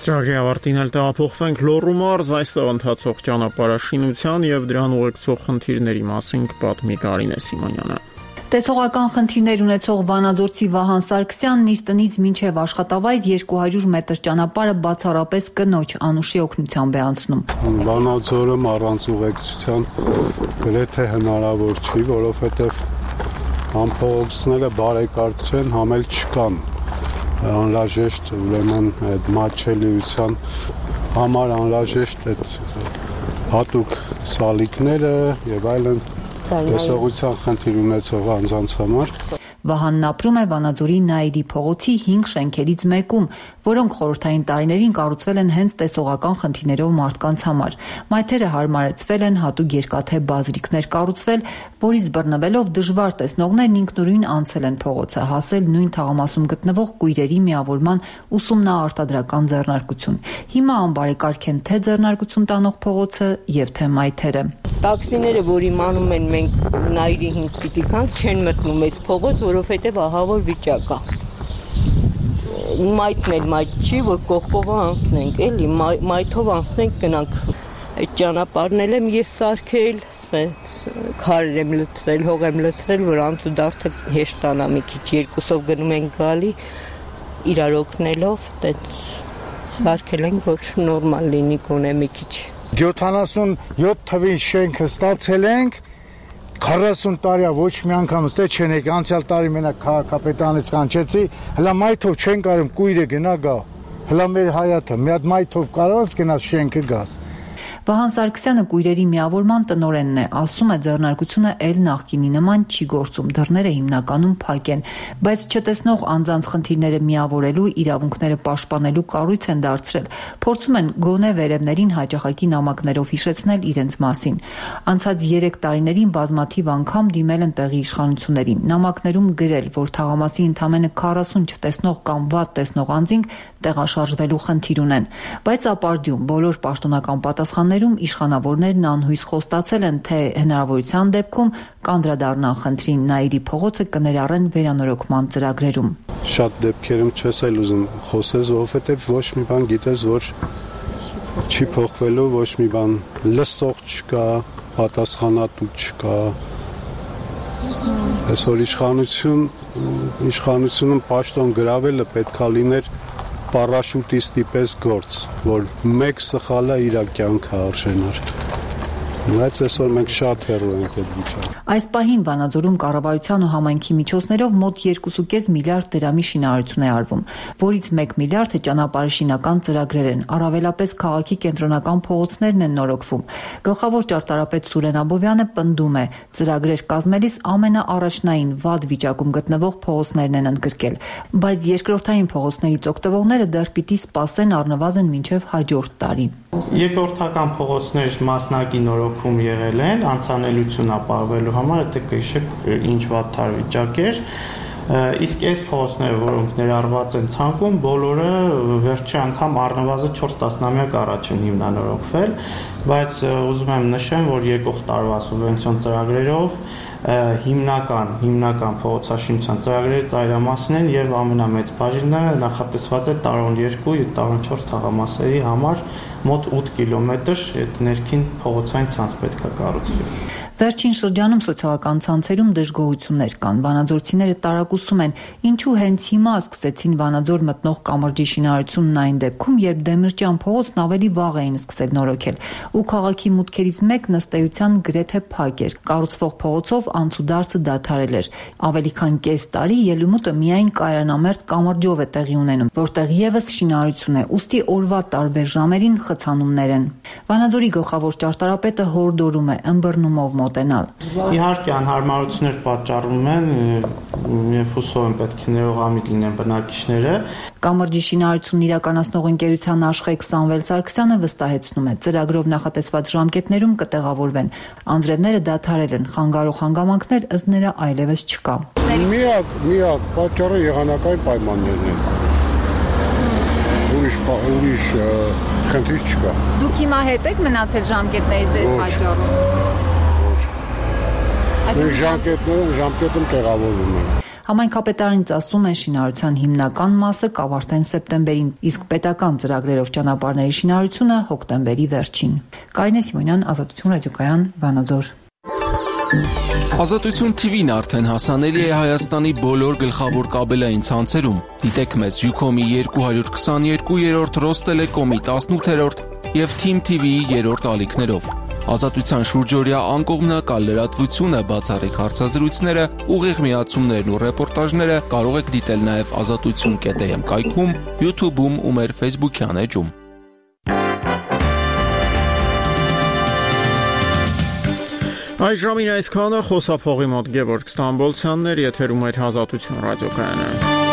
Ծրագրի ավարտին էլ տեղափոխվենք Լոռու մարզ, այստեղ ընթացող ճանապարհաշինության եւ դրան ուղեկցող խնդիրների մասին կպատմի Կարինե Սիմոնյանը։ Տեսողական խնդիրներ ունեցող վանաձորցի Վահան Սարգսյանն իր տնից մինչև աշխատավայր 200 մետր ճանապարհը բացառապես կնոջ Անուշի օգնությամբ է անցնում։ Վանաձորը առանց ուղեկցության գրեթե հնարավոր չի, որովհետև համ փողոցները բարեկարգ չեն, համ էլ չկան։ Անհրաժեշտ ուրեմն այդ մատչելիության համար անհրաժեշտ այդ հատուկ սալիկները եւ այլն տեսողության խնդիր ունեցող անձանց համար։ Վահանն ապրում է Վանաձորի Նաիրի փողոցի 5 շենքերից մեկում, որոնք խորհրդային տարիներին կառուցվել են հենց տեսողական խնդիրներով մարդկանց համար։ Մայթերը հարմարեցվել են, հատուկ երկաթե բազրիկներ կառուցվել, որից բռնվելով դժվար տեսնողներն ինքնուրույն անցել են փողոցը, հասել նույն թաղամասում գտնվող կույրերի միավորման ուսումնաարտադրական ձեռնարկություն։ Հիմա անբարեկարգ են թե ձեռնարկություն տանող փողոցը եւ թե մայթերը։ Տաքսիները, որ իմանում են մենք Նաիրի 5 պիտի գանք, չեն մտնում այս փողոց, որովհետև ահավոր վիճակ է։ Մայթն էլ մայթ չի, որ կողքով անցնենք, էլի մայթով անցնենք գնանք։ Այդ ճանապարհն էլ եմ ես սարքել, քարեր եմ լցրել, հող եմ լցրել, որ անցուդարձը հեշտանա մի քիչ, երկուսով գնում ենք գալի, իրար օգնելով, այդպես սարքել ենք, որ նորմալ լինի գոնե մի քիչ։ 77 թվին շենքը ստացել ենք, 40 տարի ոչ մի անգամ ստե չեն եկել, անցյալ տարի մենակ քաղաքապետանից կանչեցի, հլա մայթով չեն կարում կույրը գնա գա, հլա մեր հայաթը, մի հատ մայթով կարող գնաս շենքը գաս։ Վահան Սարգսյանը կույրերի միավորման տնօրենն է, ասում է ձեռնարկությունը էլ նախկինի նման չի գործում, դռները հիմնականում փակ են, բայց չտեսնող անձանց խնդիրները միավորելու, իրավունքները պաշտպանելու կառույց են դարձրել, փորձում են գոնե վերևներին հաճախակի նամակներով հիշեցնել իրենց մասին։ Անցած 3 տարիներին բազմաթիվ անգամ դիմել են տեղի իշխանություններին, նամակներում գրել, որ թաղամասի ընդամենը 40 չտեսնող կամ վատ տեսնող անձինք տեղաշարժվելու խնդիր ունեն, բայց ապարդյուն բոլոր պաշտոնական պատասխաններում իշխանավորներն անհույս խոստացել են, թե հնարավորության դեպքում կանդրադառնան խնդրին, Նաիրի փողոցը կներառեն վերանորոգման ծրագրերում։ Շատ դեպքերում չես էլ ուզում խոսես, որովհետև ոչ մի բան գիտես, որ չի փոխվելու, ոչ մի բան լսող չկա, պատասխանատու չկա։ Այսօր իշխանությունում պաշտոն գրավելը պետքա լիներ պարաշուտիստի պես գործ, որ մեկ սխալը իր կյանքը արժենար։ Բայց այսօր մենք շատ հեռու ենք այդ վիճակից։ Այս պահին Վանաձորում կառավարության ու համայնքի միջոցներով մոտ 2.5 միլիարդ դրամի շինարարություն է արվում, որից 1 միլիարդը ճանապարհաշինական ծրագրեր են, առավելապես քաղաքի կենտրոնական փողոցներն են նորոգվում։ Գլխավոր ճարտարապետ Սուրեն Աբովյանը պնդում է, ծրագրեր կազմելիս ամենաառաջնային վատ վիճակում գտնվող փողոցներն են ընդգրկել, բայց երկրորդային փողոցներից օգտվողները դեռ պիտի սպասեն առնվազն մինչև հաջորդ տարի։ Երկրորդական փողոցներ մասնակի նորոգում եղել են, անցանելություն ապահովելու համար, դա կհիշեք ինչ վատթար վիճակ էր, իսկ այս փողոցները, որոնք ներառված են ցանկում, բոլորը վերջի անգամ առնվազն 4 տասնամյակ առաջ են հիմնանորոգվել, բայց ուզում եմ նշեմ, որ եկող տարվա սուբվենցիոն ծրագրերով հիմնական փողոցաշինության ծրագրերը ծայրամասն են եւ ամենամեծ բաժինը նախատեսված է տարոն 2 եւ տարոն 4 թաղամասերի համար մոտ 8 կիլոմետր այդ ներքին փողոցային ցանց պետք է կառուցվի։ Վերջին շրջանում սոցիալական ցանցերում դժգոհություններ կան։ Վանաձորցիները տարակուսում են, ինչու հենց հիմա սկսեցին Վանաձոր մտնող կամրջի շինարարությունն այն դեպքում, երբ Դեմիրճյան փողոցն ավելի վաղ էին սկսել նորոգել, ու քաղաքի մուտքերից մեկն ըստ էության գրեթե փակ էր։ Կառուցվող փողոցով անցուդարձը դադարել էր։ Ավելի քան կես տարի ելումուտը միայն կայանամերձ կամրջով է տեղի ունենում, որտեղ եւս շինարարություն է, ուստի օրվա տարբեր ժամերին խցանումներ են։ Վանաձորի գլխավոր ճարտարապետը հորդորում է ըմբռնումով մոտենալ։ Իհարկե անհարմարություններ պատճառվում են, եւ հուսով եմ պետք է ներողամիտ լինեն բնակիչները։ Կամրջի շինարարությունն իրականացնող ընկերության աշխարհ Սամվել Սարգսյանը վստահեցնում է, ծրագրով նախատեսված ժամկետներում կտեղավորվեն։ Անձրևները դադարել են, խանգարող հանգամանքներ ըստ նրա այլևս չկա։ Միակ պատճառը եղանակային պայմաններն են։ Ուրիշ խնդիր չկա։ Դուք հիմա հետ եք մնացել ժամկետներից այդ պատճառով։ Ժամկետում տեղավորվում են։ Համայնքապետարանից ասում են շինարարության հիմնական մասը կավարտեն սեպտեմբերին, իսկ պետական ծրագրերով ճանապարհների շինարարությունը հոկտեմբերի վերջին։ Կարինե Սիմոնյան, Ազատություն ռադիոկայան, Վանաձոր։ Ազատություն TV-ն արդեն հասանելի է Հայաստանի բոլոր գլխավոր կաբելային ցանցերում։ Դիտեք մեզ Ucom-ի 222-րդ, Ռոստելեկոմի 18-րդ եւ Team TV-ի 3-րդ ալիքներով։ Ազատության շուրջօրյա անկողմնակալ լրատվությունը, բացառիկ հարցազրույցները, ուղիղ միացումներն ու ռեպորտաժները կարող եք դիտել նաեւ azatutsun.am կայքում, YouTube-ում ու մեր Facebook-յան էջում։ Այս ժամին այսքանը, խոսափողի մոտ Գևորգ Ստամբոլցյանն էր, եթերում էր Ազատություն ռադիոկայանը։